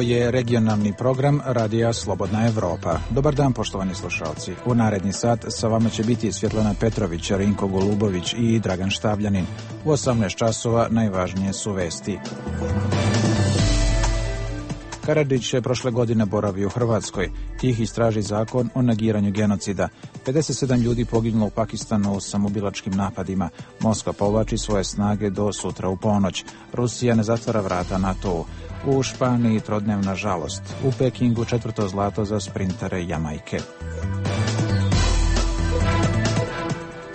Ovo je regionalni program Radija Slobodna Evropa. Dobar dan, poštovani slušalci. U naredni sat sa vama će biti Svjetlana Petrović, Rinko Golubović i Dragan Štavljanin. U 18 časova najvažnije su vesti. Karadžić je prošle godine boravio u Hrvatskoj. Tih istraži zakon o negiranju genocida. 57 ljudi poginulo u Pakistanu u samoubilačkim napadima. Moskva povlači svoje snage do sutra u ponoć. Rusija ne zatvara vrata NATO-u. U Španiji trodnevna žalost. U Pekingu 4. zlato za sprintere Jamajke.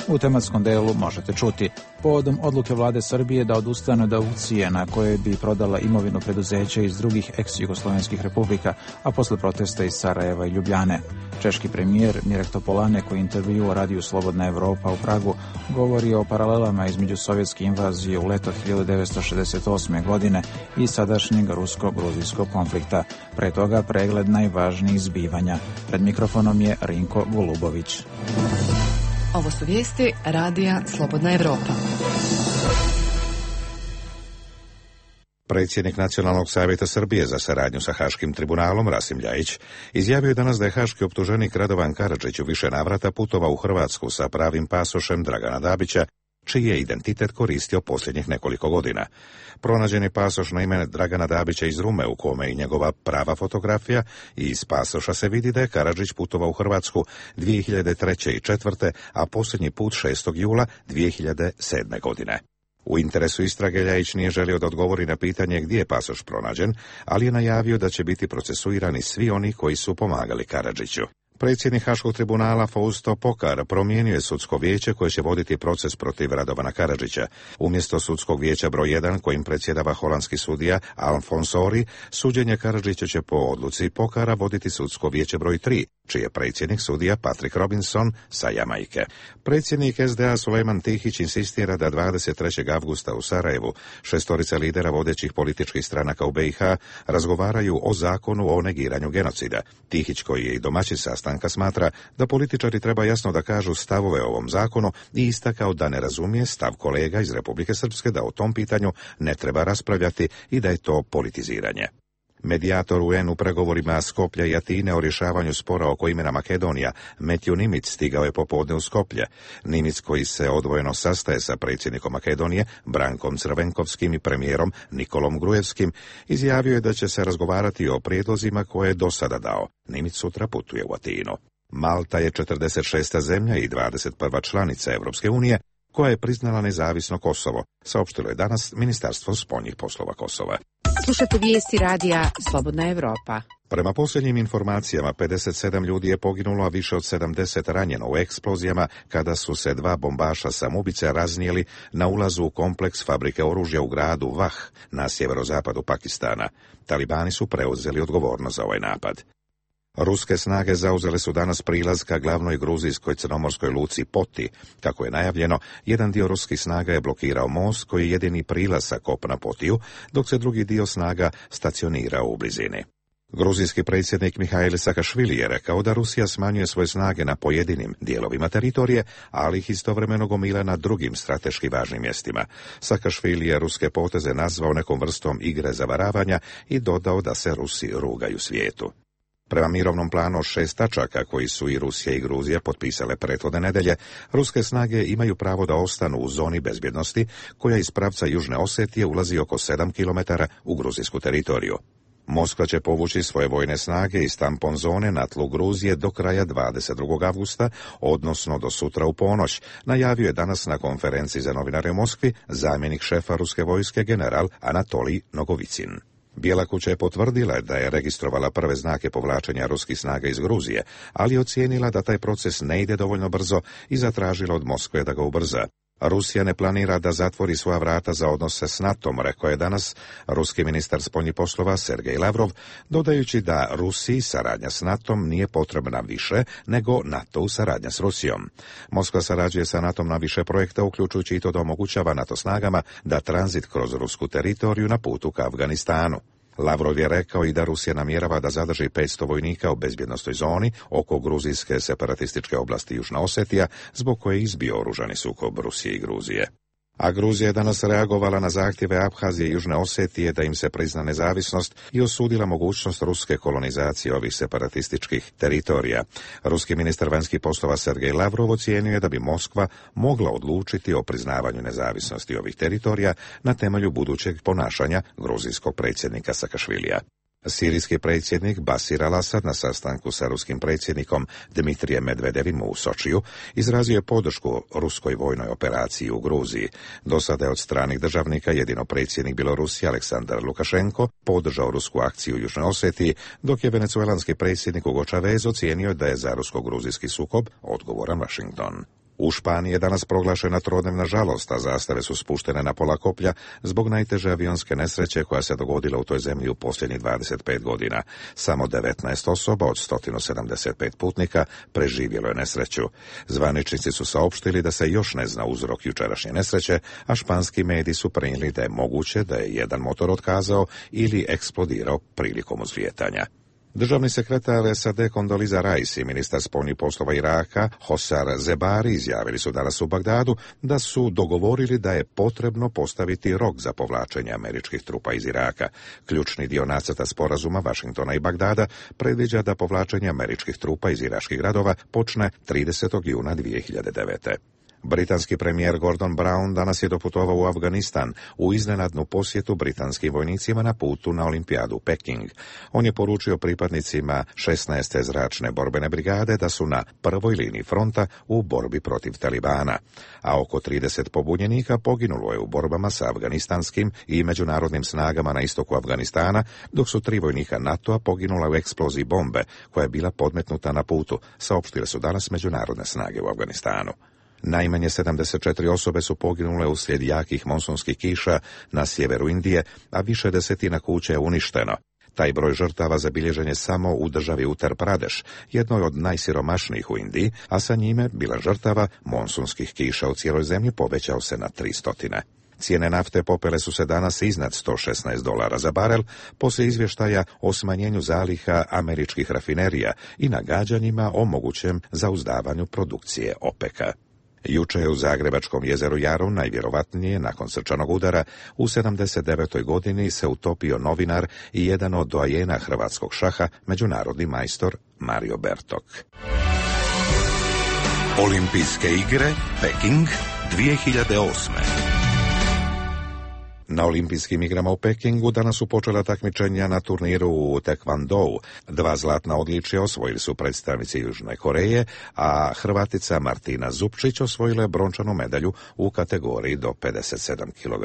U tematskom delu možete čuti. Povodom odluke vlade Srbije da odustane od aukcije na kojoj bi prodala imovinu preduzeća iz drugih ex-jugoslovenskih republika, a posle protesta iz Sarajeva i Ljubljane. Češki premijer Mirek Topolánek u intervjuu o radiju Slobodna Evropa u Pragu govori o paralelama između sovjetske invazije u leto 1968. godine i sadašnjeg rusko-gruzijskog konflikta. Pre toga pregled najvažnijih zbivanja. Pred mikrofonom je Rinko Golubović. Ovo su vijesti Radija Slobodna Evropa. Predsjednik Nacionalnog savjeta Srbije za saradnju sa Haškim tribunalom, Rasim Ljajić, izjavio je danas da je haški optuženik Radovan Karadžić u više navrata putovao u Hrvatsku sa pravim pasošem Dragana Dabića, čiji je identitet koristio posljednjih nekoliko godina. Pronađen je pasoš na ime Dragana Dabića iz Rume, u kome je i njegova prava fotografija, i iz pasoša se vidi da je Karadžić putovao u Hrvatsku 2003. i 2004., a posljednji put 6. jula 2007. godine. U interesu istrage Ljajić nije želio da odgovori na pitanje gdje je pasoš pronađen, ali je najavio da će biti procesuirani svi oni koji su pomagali Karadžiću. Predsjednik Haškog tribunala Fausto Pokar promijenio je sudsko vijeće koje će voditi proces protiv Radovana Karadžića. Umjesto sudskog vijeća broj 1 kojim predsjedava holandski sudija Alfons Ori, suđenje Karadžića će po odluci Pokara voditi sudsko vijeće broj 3, čiji je predsjednik sudija Patrick Robinson sa Jamajke. Predsjednik SDA Sulejman Tihić insistira da 23. avgusta u Sarajevu 6 lidera vodećih političkih stranaka u BiH razgovaraju o zakonu o negiranju genocida. Tihić, koji je i domaćin sastanka, smatra da političari treba jasno da kažu stavove o ovom zakonu i istakao da ne razumije stav kolega iz Republike Srpske da o tom pitanju ne treba raspravljati i da je to politiziranje. Medijator UN u pregovorima Skoplja i Atine o rješavanju spora oko imena Makedonija, Matthew Nimitz, stigao je popodne u Skoplje. Nimitz, koji se odvojeno sastaje sa predsjednikom Makedonije, Brankom Crvenkovskim, i premijerom Nikolom Grujevskim, izjavio je da će se razgovarati o prijedlozima koje je do sada dao. Nimitz sutra putuje u Atinu. Malta je 46. zemlja i 21. članica Europske unije koja je priznala nezavisno Kosovo, saopštilo je danas Ministarstvo spoljnih poslova Kosova. Slušate vijesti Radija Slobodna Evropa. Prema posljednjim informacijama, 57 ljudi je poginulo, a više od 70 ranjeno u eksplozijama kada su se 2 bombaša samoubice raznijeli na ulazu u kompleks fabrike oružja u gradu Vah na sjeverozapadu Pakistana. Talibani su preuzeli odgovornost za ovaj napad. Ruske snage zauzele su danas prilaz ka glavnoj gruzijskoj crnomorskoj luci Poti. Kako je najavljeno, jedan dio ruskih snaga je blokirao most koji je jedini prilaz sa kopna Potiju, dok se drugi dio snaga stacionirao u blizini. Gruzijski predsjednik Mihail Sakašvili je rekao da Rusija smanjuje svoje snage na pojedinim dijelovima teritorije, ali ih istovremeno gomila na drugim strateški važnim mjestima. Sakašvili je ruske poteze nazvao nekom vrstom igre zavaravanja i dodao da se Rusi rugaju svijetu. Prema mirovnom planu 6 tačaka koji su i Rusija i Gruzija potpisale prethodne nedelje, ruske snage imaju pravo da ostanu u zoni bezbjednosti koja iz pravca Južne Osetije ulazi oko 7 km u gruzijsku teritoriju. Moskva će povući svoje vojne snage iz tampon zone na tlu Gruzije do kraja 22. avgusta, odnosno do sutra u ponoć, najavio je danas na konferenciji za novinare u Moskvi zamjenik šefa ruske vojske general Anatolij Nogovicin. Bijela kuća je potvrdila da je registrovala prve znake povlačenja ruskih snaga iz Gruzije, ali ocijenila da taj proces ne ide dovoljno brzo i zatražila od Moskve da ga ubrza. Rusija ne planira da zatvori svoja vrata za odnose s NATO-om, rekao je danas ruski ministar spoljnih poslova Sergej Lavrov, dodajući da Rusiji saradnja s NATO-om nije potrebna više nego NATO-u saradnja s Rusijom. Moskva sarađuje sa NATO-om na više projekta, uključujući i to da omogućava NATO snagama da tranzit kroz rusku teritoriju na putu ka Afganistanu. Lavrov je rekao i da Rusija namjerava da zadrži 500 vojnika u bezbjednostnoj zoni oko gruzijske separatističke oblasti Južna Osetija, zbog koje je izbio oružani sukob Rusije i Gruzije. A Gruzija je danas reagovala na zahtjeve Abhazije i Južne Osetije da im se prizna nezavisnost i osudila mogućnost ruske kolonizacije ovih separatističkih teritorija. Ruski ministar vanjskih poslova Sergej Lavrov ocijenio je da bi Moskva mogla odlučiti o priznavanju nezavisnosti ovih teritorija na temelju budućeg ponašanja gruzijskog predsjednika Sakašvilija. Sirijski predsjednik Basir al-Asad na sastanku sa ruskim predsjednikom Dmitrijem Medvedevim u Sočiju izrazio je podršku ruskoj vojnoj operaciji u Gruziji. Do sada je od stranih državnika jedino predsjednik Bjelorusije Aleksandar Lukašenko podržao rusku akciju u Južnoj Osetiji, dok je venecuelanski predsjednik Hugo Chavez ocijenio da je za rusko-gruzijski sukob odgovoran Washington. U Španiji je danas proglašena trodnevna žalost, a zastave su spuštene na pola koplja zbog najteže avionske nesreće koja se dogodila u toj zemlji u posljednjih 25 godina. Samo 19 osoba od 175 putnika preživjelo je nesreću. Zvaničnici su saopštili da se još ne zna uzrok jučerašnje nesreće, a španski mediji su prenijeli da je moguće da je jedan motor otkazao ili eksplodirao prilikom uzlijetanja. Državni sekretar SAD Condoleezza Rice i ministar spoljnih poslova Iraka Hosar Zebari izjavili su danas u Bagdadu da su dogovorili da je potrebno postaviti rok za povlačenje američkih trupa iz Iraka. Ključni dio nacrta sporazuma Washingtona i Bagdada predviđa da povlačenje američkih trupa iz iračkih gradova počne 30. juna 2009. Britanski premijer Gordon Brown danas je doputovao u Afganistan u iznenadnu posjetu britanskim vojnicima na putu na olimpijadu Peking. On je poručio pripadnicima 16. zračne borbene brigade da su na prvoj liniji fronta u borbi protiv Talibana, a oko 30 pobunjenika poginulo je u borbama sa afganistanskim i međunarodnim snagama na istoku Afganistana, dok su 3 vojnika NATO-a poginula u eksploziji bombe koja je bila podmetnuta na putu, saopštile su danas međunarodne snage u Afganistanu. Najmanje 74 osobe su poginule uslijed jakih monsunskih kiša na sjeveru Indije, a više desetina kuća je uništeno. Taj broj žrtava zabilježen je samo u državi Uttar Pradeš, jednoj od najsiromašnijih u Indiji, a sa njime bila žrtava monsunskih kiša u cijeloj zemlji povećao se na 300. Cijene nafte popele su se danas iznad $116 za barel, poslije izvještaja o smanjenju zaliha američkih rafinerija i nagađanjima o mogućem zauzdavanju produkcije OPEC-a. Juče je u Zagrebačkom jezeru Jarun, najvjerovatnije nakon srčanog udara, u 79. godini se utopio novinar i jedan od doajena hrvatskog šaha, međunarodni majstor Mario Bertok. Olimpijske igre Peking 2008. Na olimpijskim igrama u Pekingu danas su počela takmičenja na turniru u Taekwondou. 2 zlatna odličja osvojili su predstavnici Južne Koreje, a Hrvatica Martina Zupčić osvojila je brončanu medalju u kategoriji do 57 kg.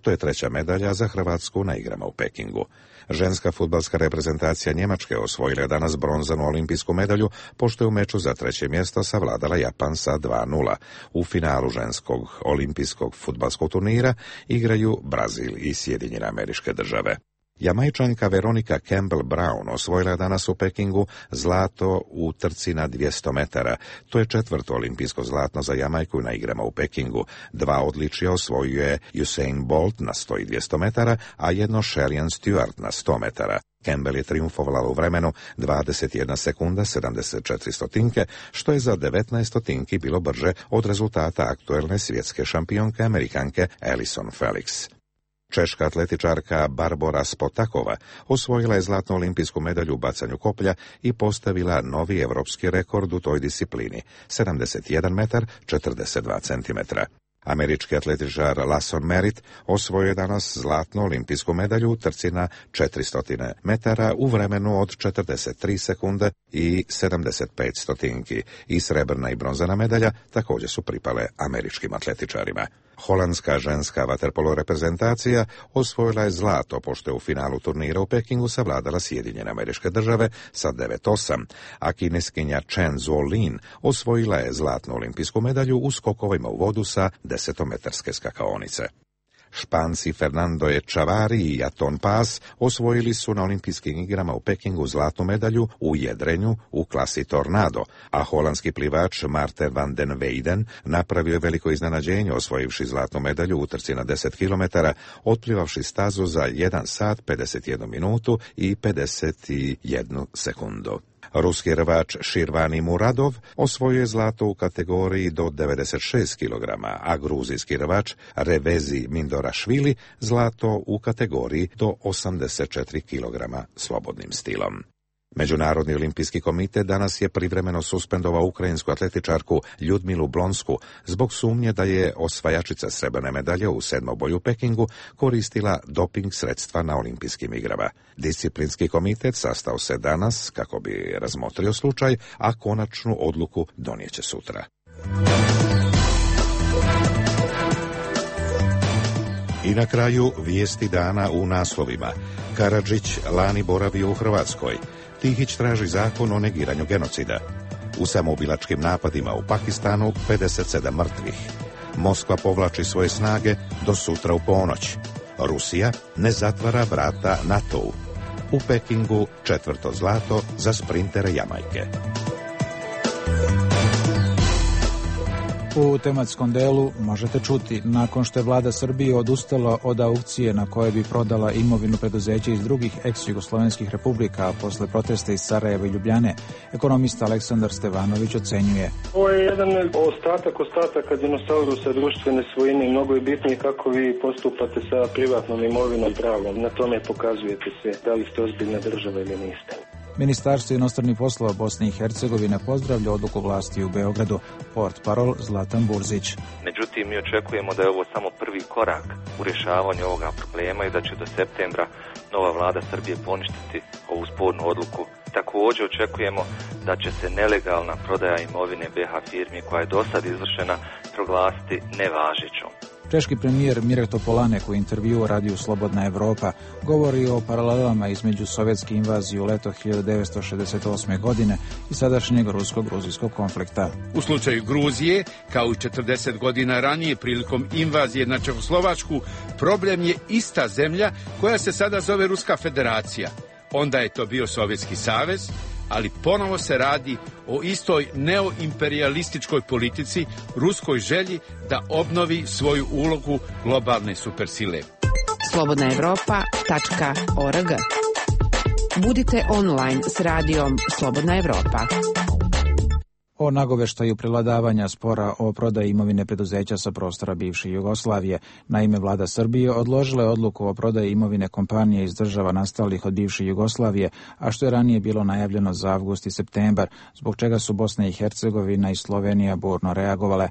To je 3. medalja za Hrvatsku na igrama u Pekingu. Ženska fudbalska reprezentacija Njemačke osvojila je danas bronzanu olimpijsku medalju, pošto je u meču za 3. mjesto savladala Japan sa 2:0. U finalu ženskog olimpijskog fudbalskog turnira igraju Brazil i Sjedinjene Američke Države. Jamajčanka Veronika Campbell Brown osvojila je danas u Pekingu zlato u trci na 200 metara. To je 4. olimpijsko zlatno za Jamajku na igrama u Pekingu. 2 odličja osvojio je Usain Bolt na 100 i 200 metara, a jedno Sherian Stewart na 100 metara. Campbell je triumfovala u vremenu 21 sekunda 74 stotinke, što je za 19 stotinki bilo brže od rezultata aktuelne svjetske šampionke Amerikanke Allyson Felix. Češka atletičarka Barbora Spotakova osvojila je zlatnu olimpijsku medalju u bacanju koplja i postavila novi evropski rekord u toj disciplini, 71 metar 42 centimetra. Američki atletičar Lawson Merritt osvojio je danas zlatnu olimpijsku medalju u trci na 400 metara u vremenu od 43 sekunde i 75 stotinki. I srebrna i bronzana medalja također su pripale američkim atletičarima. Holandska ženska vaterpolo reprezentacija osvojila je zlato, pošto je u finalu turnira u Pekingu savladala Sjedinjene Američke Države sa 9:8, a kineskinja Chen Zuolin osvojila je zlatnu olimpijsku medalju u skokovima u vodu sa 10-metarske skakaonice. Španci Fernando Echavarri i Aton Paz osvojili su na olimpijskim igrama u Pekingu zlatnu medalju u jedrenju u klasi Tornado, a holandski plivač Maarten van den Weyden napravio je veliko iznenađenje osvojivši zlatnu medalju u trci na 10 km, otplivavši stazu za 1 sat, 51 minutu i 51 sekundu. Ruski rvač Širvani Muradov osvojio je zlato u kategoriji do 96 kg, a gruzijski rvač Revezi Mindorašvili zlato u kategoriji do 84 kg slobodnim stilom. Međunarodni olimpijski komitet danas je privremeno suspendovao ukrajinsku atletičarku Ljudmilu Blonsku zbog sumnje da je osvajačica srebrne medalje u sedmoboju u Pekingu koristila doping sredstva na olimpijskim igrama. Disciplinski komitet sastao se danas kako bi razmotrio slučaj, a konačnu odluku donijeće sutra. I na kraju vijesti dana u naslovima. Karadžić lani boravio u Hrvatskoj. Tihić traži zakon o negiranju genocida. U samoubilačkim napadima u Pakistanu 57 mrtvih. Moskva povlači svoje snage do sutra u ponoć. Rusija ne zatvara vrata NATO-u. U Pekingu 4. zlato za sprintere Jamajke. U tematskom delu možete čuti, nakon što je vlada Srbije odustala od aukcije na koje bi prodala imovinu preduzeća iz drugih ex-jugoslovenskih republika, a posle protesta iz Sarajeva i Ljubljane, ekonomista Aleksandar Stevanović ocenjuje. Ovo je jedan ostataka dinosaurusa društvene svojine. Mnogo je bitnije kako vi postupate sa privatnom imovinom pravom. Na tome pokazujete se da li ste ozbiljna država ili niste. Ministarstvo inostranih poslova Bosne i Hercegovine pozdravlja odluku vlasti u Beogradu. Portparol Zlatan Burzić. Međutim, mi očekujemo da je ovo samo prvi korak u rješavanju ovoga problema i da će do septembra nova vlada Srbije poništiti ovu spornu odluku. Također očekujemo da će se nelegalna prodaja imovine BiH firmi koja je do sad izvršena proglasiti nevažećom. Češki premijer Mirek Topolánek u intervjuu radiju Slobodna Evropa govori o paralelama između sovjetske invazije u leto 1968. godine i sadašnjeg rusko-gruzijskog konflikta. U slučaju Gruzije, kao i 40 godina ranije prilikom invazije na Čehoslovačku, problem je ista zemlja koja se sada zove Ruska federacija. Onda je to bio Sovjetski savez, ali ponovo se radi o istoj neoimperijalističkoj politici, ruskoj želji da obnovi svoju ulogu globalne supersile. slobodnaevropa.org. Budite online s radijom Slobodna Evropa. O nagoveštaju prevladavanja spora o prodaji imovine preduzeća sa prostora bivše Jugoslavije. Naime, vlada Srbije odložila je odluku o prodaji imovine kompanije iz država nastalih od bivše Jugoslavije, a što je ranije bilo najavljeno za avgust i septembar, zbog čega su Bosna i Hercegovina i Slovenija burno reagovale.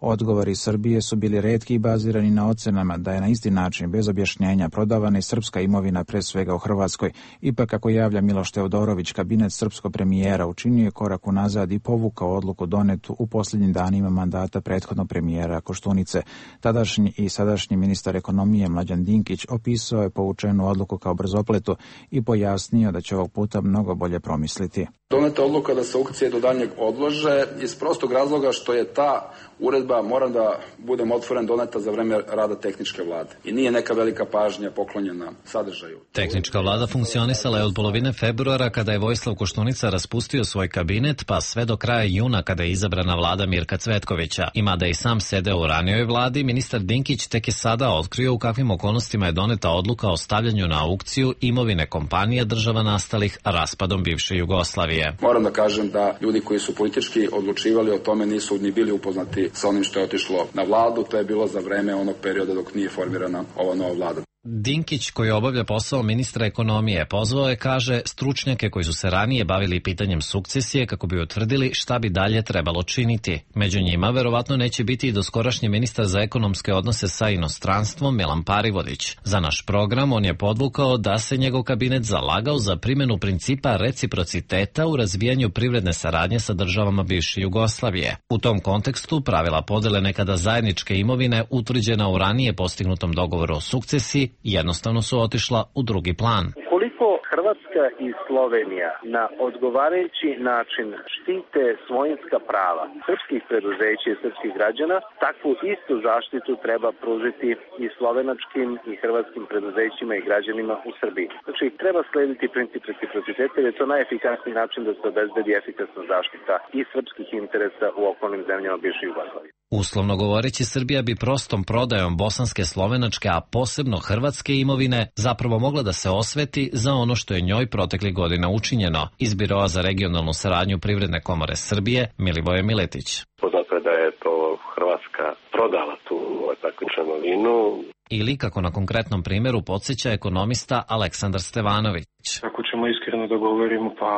Odgovori Srbije su bili retki i bazirani na ocenama da je na isti način, bez objašnjenja, prodavana i srpska imovina, pre svega u Hrvatskoj. Ipak, kako javlja Miloš Teodorović, kabinet srpskog premijera učinio je korak unazad i povukao odluku donetu u posljednjim danima mandata prethodnog premijera Koštunice. Tadašnji i sadašnji ministar ekonomije Mlađan Dinkić opisao je povučenu odluku kao brzopletu i pojasnio da će ovog puta mnogo bolje promisliti. Doneta odluka da se aukcije do daljnjeg odlože iz prostog razloga što je ta uredba, moram da budem otvoren, doneta za vreme rada tehničke vlade. I nije neka velika pažnja poklonjena sadržaju. Tehnička vlada funkcionisala je od polovine februara kada je Vojislav Koštunica raspustio svoj kabinet, pa sve do kraja juna kada je izabrana vlada Mirka Cvetkovića. I mada i sam sedeo u ranijoj vladi, ministar Dinkić tek je sada otkrio u kakvim okolnostima je doneta odluka o stavljanju na aukciju imovine kompanija država nastalih raspadom bivše Jugoslavije. Moram da kažem da ljudi koji su politički odlučivali o tome nisu ni bili upoznati sa onim što je otišlo na vladu. To je bilo za vreme onog perioda dok nije formirana ova nova vlada. Dinkić, koji obavlja posao ministra ekonomije, pozvao je, kaže, stručnjake koji su se ranije bavili pitanjem sukcesije kako bi utvrdili šta bi dalje trebalo činiti. Među njima verovatno neće biti i doskorašnji ministar za ekonomske odnose sa inostranstvom Milan Parivodić. Za naš program on je podvukao da se njegov kabinet zalagao za primjenu principa reciprociteta u razvijanju privredne saradnje sa državama bivše Jugoslavije. U tom kontekstu pravila podele nekada zajedničke imovine utvrđena u ranije postignutom dogovoru o sukcesiji jednostavno su otišla u drugi plan. Ukoliko Hrvatska i Slovenija na odgovarajući način štite svojinska prava srpskih preduzeća i srpskih građana, takvu istu zaštitu treba pružiti i slovenačkim i hrvatskim preduzećima i građanima u Srbiji. Znači, treba slediti princip reciprociteta jer je to najefikasniji način da se obezbedi efikasna zaštita i srpskih interesa u okolnim zemljama bivše Jugoslavije. Uslovno govoreći, Srbija bi prostom prodajom bosanske, slovenačke, a posebno hrvatske imovine zapravo mogla da se osveti za ono što je njoj proteklih godina učinjeno. Iz Biroa za regionalnu saradnju Privredne komore Srbije, Milivoje Miletić. Poznato je da je to Hrvatska prodala tu takvičnu imovinu. Ili, kako na konkretnom primjeru podsjeća ekonomista Aleksandar Stevanović. Ako ćemo iskreno da govorimo, pa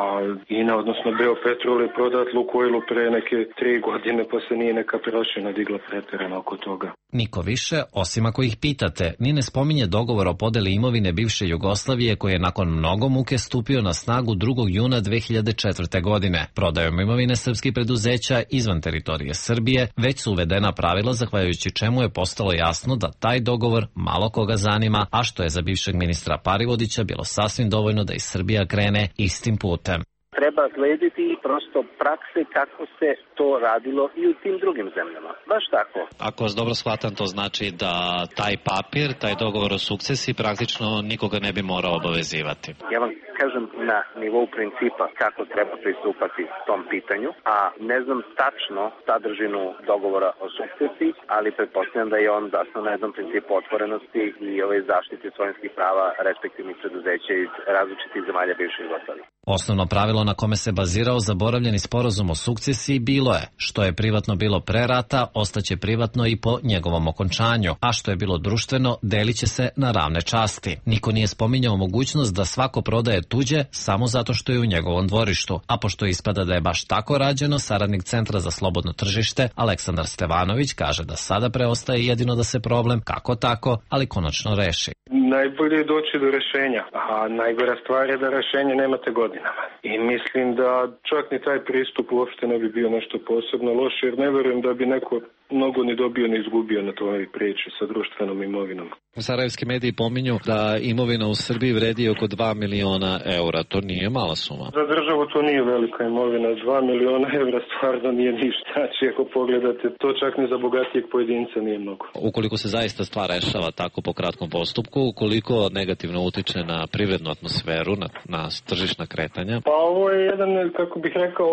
INA, odnosno Beopetrol je prodat Lukoilu pre neke 3 godine, pa se nije neka prašina digla preterano oko toga. Niko više, osim ako ih pitate, ni ne spominje dogovor o podeli imovine bivše Jugoslavije koji je nakon mnogo muke stupio na snagu 2. juna 2004. godine. Prodajom imovine srpskih preduzeća izvan teritorije Srbije već su uvedena pravila zahvaljujući čemu je postalo jasno da taj dogovor malo koga zanima, a što je za bivšeg ministra Parivodića bilo sasvim dovoljno da i Srbija krene istim putem. Treba slediti prosto prakse kako se to radilo i u tim drugim zemljama. Baš tako. Ako vas dobro shvatam, to znači da taj papir, taj dogovor o sukcesiji praktično nikoga ne bi morao obavezivati. Ja vam kažem na nivou principa kako treba pristupati tom pitanju, a ne znam tačno sadržinu dogovora o sukcesiji, ali pretpostavljam da je on zasnovan na jednom principu otvorenosti i zaštite svojinskih prava respektivnih preduzeća iz različitih zemalja bivše Jugoslavije. Osnovno pravilo na kome se bazirao zaboravljeni sporazum o sukcesiji bilo je: što je privatno bilo pre rata, ostaće privatno i po njegovom okončanju, a što je bilo društveno, delit će se na ravne časti. Niko nije spominjao mogućnost da svako prodaje tuđe samo zato što je u njegovom dvorištu, a pošto ispada da je baš tako rađeno, saradnik Centra za slobodno tržište Aleksandar Stevanović kaže da sada preostaje jedino da se problem kako tako, ali konačno reši. Najbolje je doći do rešenja, a najgora stvar je da rešenje nemate godinama. I mislim da čak ni taj pristup uopšte ne bi bio nešto posebno loše, jer ne verujem da bi neko mnogo ni dobio ni izgubio na toj priči sa društvenom imovinom. Sarajevski mediji pominju da imovina u Srbiji vredi oko 2 miliona eura. To nije mala suma. Za državu to nije velika imovina. 2 miliona eura stvarno nije ništa. Znači, ako pogledate, to čak ni za bogatijeg pojedinca nije mnogo. Ukoliko se zaista stvar rešava tako po kratkom postupku, koliko negativno utiče na privrednu atmosferu, na tržišna kretanja? Pa ovo je jedan, kako bih rekao,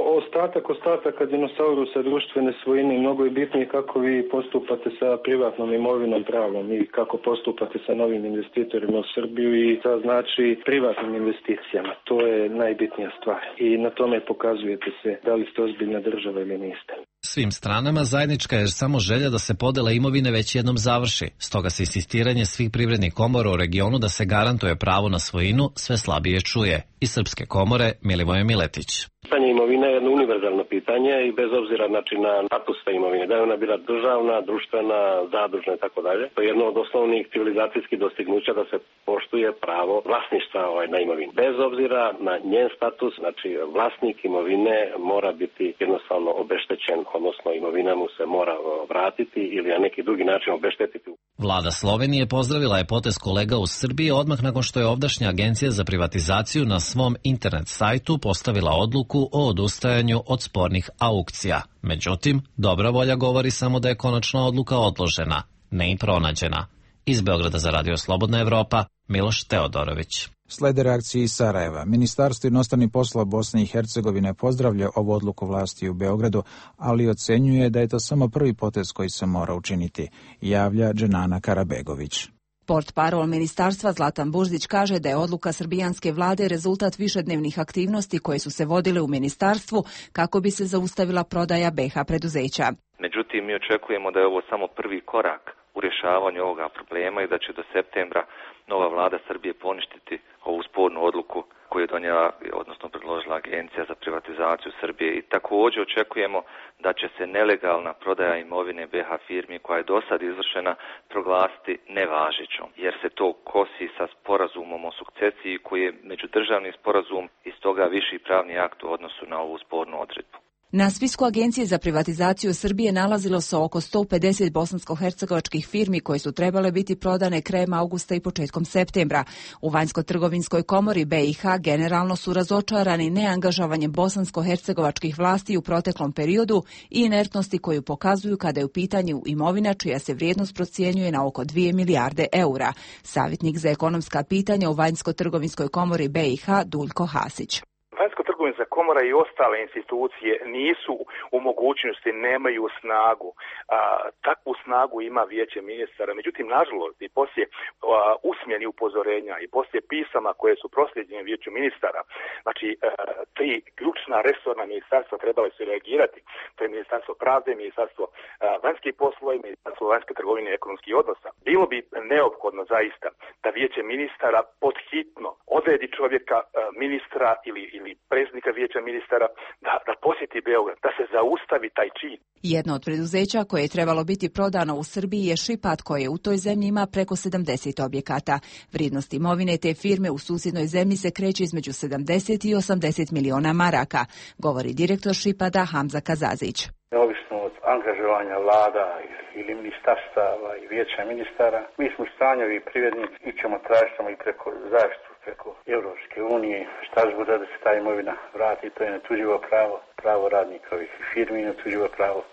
ostataka dinosaurusa društvene svojine. Mnogo je bitnije kako vi postupate sa privatnom imovinom pravom i kako postupate sa novim investitorima u Srbiju i sa privatnim investicijama. To je najbitnija stvar i na tome pokazujete se da li ste ozbiljna država ili niste. Svim stranama zajednička je samo želja da se podela imovine već jednom završi. Stoga se insistiranje svih privrednih komora u regionu da se garantuje pravo na svojinu sve slabije čuje. Iz Srpske komore Milivoje Miletić. Pitanje imovine je jedno univerzalno pitanje i bez obzira na status te imovine, da je ona bila državna, društvena, zadružna i tako dalje. To je jedno od osnovnih civilizacijskih dostignuća da se poštuje pravo vlasništva na imovini. Bez obzira na njen status, vlasnik imovine mora biti jednostavno obeštećen, odnosno imovina mu se mora vratiti ili na neki drugi način obeštetiti. Vlada Slovenije pozdravila je potez kolega u Srbiji odmah nakon što je ovdašnja agencija za privatizaciju na svom internet sajtu postavila odluku o odustajanju od spornih aukcija. Međutim, dobra volja govori samo da je konačna odluka odložena, ne i pronađena. Iz Beograda za Radio Slobodna Evropa, Miloš Teodorović. Slede reakcije iz Sarajeva. Ministarstvo inostranih poslova Bosne i Hercegovine pozdravlja ovu odluku vlasti u Beogradu, ali ocenjuje da je to samo prvi potez koji se mora učiniti, javlja Dženana Karabegović. Portparol ministarstva Zlatan Buždić kaže da je odluka srbijanske vlade rezultat višednevnih aktivnosti koje su se vodile u ministarstvu kako bi se zaustavila prodaja BiH preduzeća. Međutim, mi očekujemo da je ovo samo prvi korak u rješavanju ovoga problema i da će do septembra nova vlada Srbije poništiti ovu spornu odluku koju je donijela, odnosno predložila Agencija za privatizaciju Srbije. I također očekujemo da će se nelegalna prodaja imovine BiH firmi koja je do sad izvršena proglasiti nevažećom, jer se to kosi sa sporazumom o sukcesiji koji je međudržavni sporazum i stoga viši pravni akt u odnosu na ovu spornu odredbu. Na spisku Agencije za privatizaciju Srbije nalazilo se oko 150 bosansko-hercegovačkih firmi koje su trebale biti prodane krajem augusta i početkom septembra. U Vanjsko-trgovinskoj komori BiH generalno su razočarani neangažovanjem bosansko-hercegovačkih vlasti u proteklom periodu i inertnosti koju pokazuju kada je u pitanju imovina čija se vrijednost procjenjuje na oko 2 milijarde eura. Savjetnik za ekonomska pitanja u Vanjsko-trgovinskoj komori BiH Duljko Hasić. Vanjsko-trgovinska komora i ostale institucije nisu u mogućnosti, nemaju snagu. Takvu snagu ima Vijeće ministara. Međutim, nažalost, i poslije usmeni upozorenja i poslije pisama koje su proslijeđene Vijeću ministara, znači tri ključna resorna ministarstva trebali su reagirati. To je Ministarstvo pravde, Ministarstvo vanjskih poslova i Ministarstvo vanjske trgovine i ekonomskih odnosa. Bilo bi neophodno zaista da Vijeće ministara podhitno odredi čovjeka, ministra ili predsjednika Vijeća ministara da posjeti Beograd, da se zaustavi taj čin. Jedno od preduzeća koje je trebalo biti prodano u Srbiji je Šipat, koje u toj zemlji ima preko 70 objekata. Vrijednost imovine te firme u susjednoj zemlji se kreće između 70 i 80 miliona maraka, govori direktor Šipada Hamza Kazazić. Neovisno od angažovanja vlada ili ministarstava i Vijeća ministara, mi smo u stanju i privrednici i ćemo tražiti i preko zaštitu, preko Europske unije, šta zbuda da se ta imovina vrati, to je netuđivo pravo radnika ovih firmi i netuđivo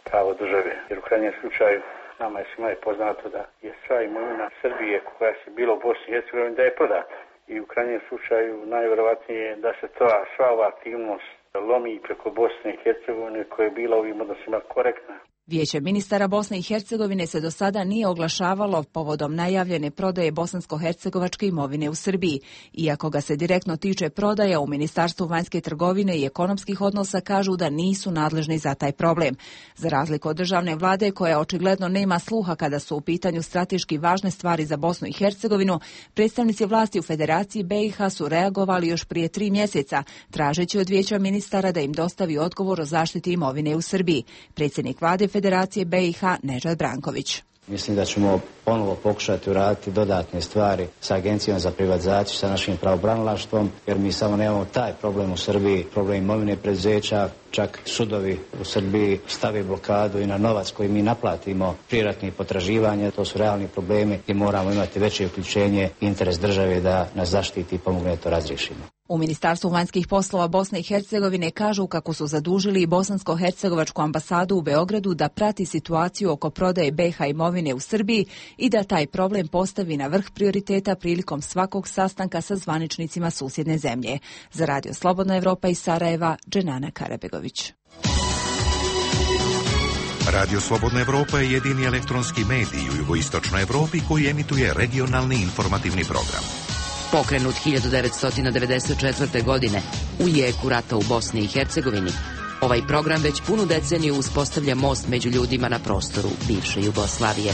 pravo države. Jer u krajnjem slučaju nama je svima je poznato da je sva imovina Srbije koja se bila u Bosni i Hercegovini da je prodata. I u krajnjem slučaju najvjerovatnije je da se sva ova aktivnost lomi preko Bosne i Hercegovine koja je bila u ovim odnosima korektna. Vijeće ministara Bosne i Hercegovine se do sada nije oglašavalo povodom najavljene prodaje bosansko-hercegovačke imovine u Srbiji. Iako ga se direktno tiče prodaja, u Ministarstvu vanjske trgovine i ekonomskih odnosa kažu da nisu nadležni za taj problem. Za razliku od državne vlade, koja očigledno nema sluha kada su u pitanju strateški važne stvari za Bosnu i Hercegovinu, predstavnici vlasti u Federaciji BiH su reagovali još prije 3 mjeseca, tražeći od Vijeća ministara da im dostavi odgovor o zaštiti imovine u Srbiji. Predsjednik vlade Federacije BiH Nežad Branković. Mislim da ćemo ponovo pokušati uraditi dodatne stvari sa Agencijom za privatizaciju, sa našim pravobranilaštvom, jer mi samo nemamo taj problem u Srbiji, problem imovine preduzeća, čak sudovi u Srbiji stave blokadu i na novac koji mi naplatimo prijeratnih potraživanja. To su realni problemi i moramo imati veće uključenje i interes države da nas zaštiti i pomogne to razriješimo. U Ministarstvu vanjskih poslova Bosne i Hercegovine kažu kako su zadužili bosansko-hercegovačku ambasadu u Beogradu da prati situaciju oko prodaje BiH imovine u Srbiji i da taj problem postavi na vrh prioriteta prilikom svakog sastanka sa zvaničnicima susjedne zemlje. Za Radio Slobodna Evropa iz Sarajeva, Dženana Karabegović. Radio Slobodna Evropa je jedini elektronski medij u jugoistočnoj Evropi koji emituje regionalni informativni program. Pokrenut 1994. godine u jeku rata u Bosni i Hercegovini, ovaj program već punu deceniju uspostavlja most među ljudima na prostoru bivše Jugoslavije.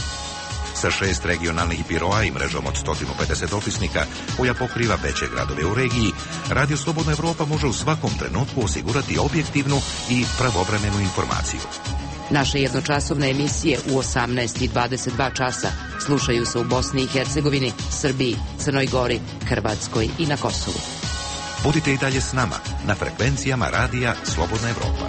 Sa 6 regionalnih biroa i mrežom od 150 dopisnika koja pokriva veće gradove u regiji, Radio Slobodna Evropa može u svakom trenutku osigurati objektivnu i pravovremenu informaciju. Naše jednočasovne emisije u 18 i 22 časa slušaju se u Bosni i Hercegovini, Srbiji, Crnoj Gori, Hrvatskoj i na Kosovu. Budite i dalje s nama na frekvencijama Radija Slobodna Evropa.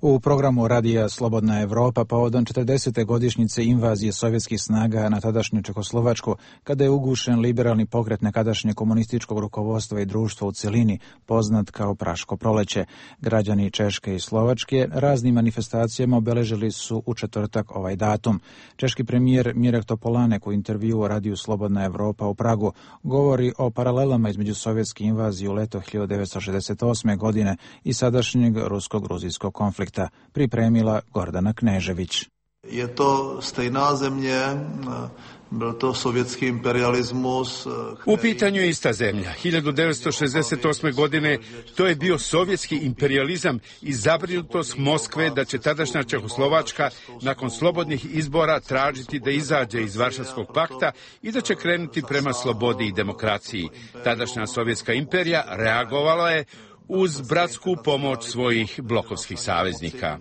U programu Radija Slobodna Evropa povodom 40. godišnjice invazije sovjetskih snaga na tadašnju Čehoslovačku, kada je ugušen liberalni pokret nekadašnje komunističkog rukovodstva i društva u cjelini, poznat kao Praško proleće, građani Češke i Slovačke raznim manifestacijama obeležili su u četvrtak ovaj datum. Češki premijer Mirek Topolanek u intervjuu o Radiju Slobodna Evropa u Pragu govori o paralelama između sovjetske invazije u leto 1968. godine i sadašnjeg rusko-gruzijskog konflikta. Pripremila Gordana Knežević. Je to stejná země, byl to sovjetski imperializmus. U pitanju je ista zemlja. 1968. godine to je bio sovjetski imperializam i zabrinutost Moskve da će tadašnja Čehoslovačka nakon slobodnih izbora tražiti da izađe iz Varšavskog pakta i da će krenuti prema slobodi i demokraciji. Tadašnja sovjetska imperija reagovala je uz bratsku pomoć svojih blokovskih saveznika.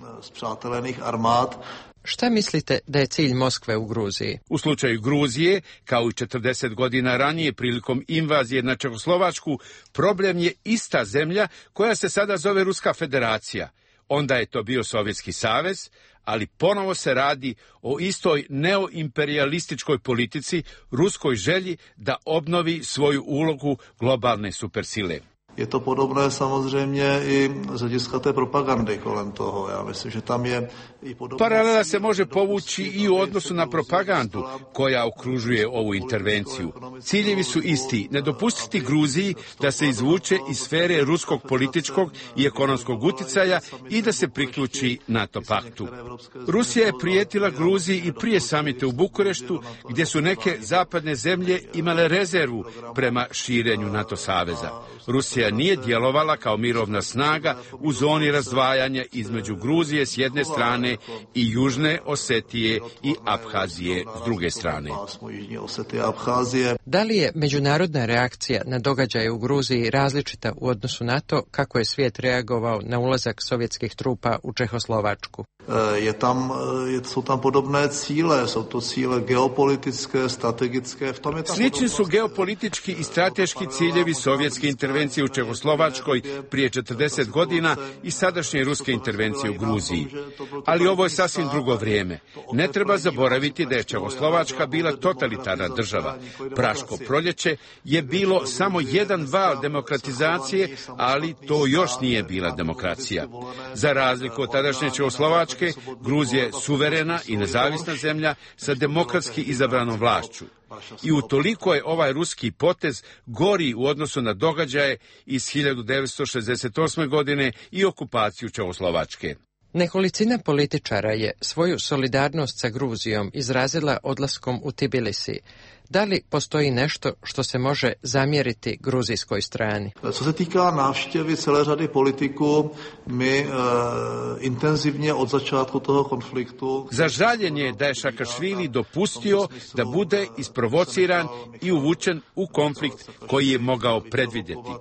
Šta mislite da je cilj Moskve u Gruziji? U slučaju Gruzije, kao i 40 godina ranije prilikom invazije na Čehoslovačku, problem je ista zemlja koja se sada zove Ruska federacija. Onda je to bio Sovjetski savez, ali ponovo se radi o istoj neoimperialističkoj politici, ruskoj želji da obnovi svoju ulogu globalne supersile. je to podobné samozřejmě i z hlediska té propagandy kolem toho. Ja mislim, že tam je i podobné... Paralela se može povući i u odnosu na propagandu koja okružuje ovu intervenciju. Ciljevi su isti, ne dopustiti Gruziji da se izvuče iz sfere ruskog političkog i ekonomskog uticaja i da se priključi NATO paktu. Rusija je prijetila Gruziji i prije samita u Bukureštu, gdje su neke zapadne zemlje imale rezervu prema širenju NATO saveza. Rusija nije djelovala kao mirovna snaga u zoni razdvajanja između Gruzije s jedne strane i Južne Osetije i Abhazije s druge strane. Da li je međunarodna reakcija na događaje u Gruziji različita u odnosu na to kako je svijet reagovao na ulazak sovjetskih trupa u Čehoslovačku? Jsou tam podobné cíle, jsou to cíle geopolitické, strategické. Slični su geopolitički i strateški ciljevi sovjetske intervencije u Čehoslovačkoj prije 40 godina i sadašnje ruske intervencije u Gruziji. Ali ovo je sasvim drugo vrijeme. Ne treba zaboraviti da je Čehoslovačka bila totalitarna država. Praško proljeće je bilo samo jedan val demokratizacije, ali to još nije bila demokracija. Za razliku od tadašnje Čehoslovačke, Gruzija je suverena i nezavisna zemlja sa demokratski izabranom vlašću. I utoliko je ovaj ruski potez gori u odnosu na događaje iz 1968. godine i okupaciju Čehoslovačke. Nekolicina političara je svoju solidarnost sa Gruzijom izrazila odlaskom u Tbilisi. Da li postoji nešto što se može zamjeriti gruzijskoj strani? Co se týká návštěvy celé řady politiků, my intenzivně od začátku toho konfliktu... Za žaljenje je da je Šakašvili dopustio da bude isprovociran i uvučen u konflikt koji je mogao predvidjeti.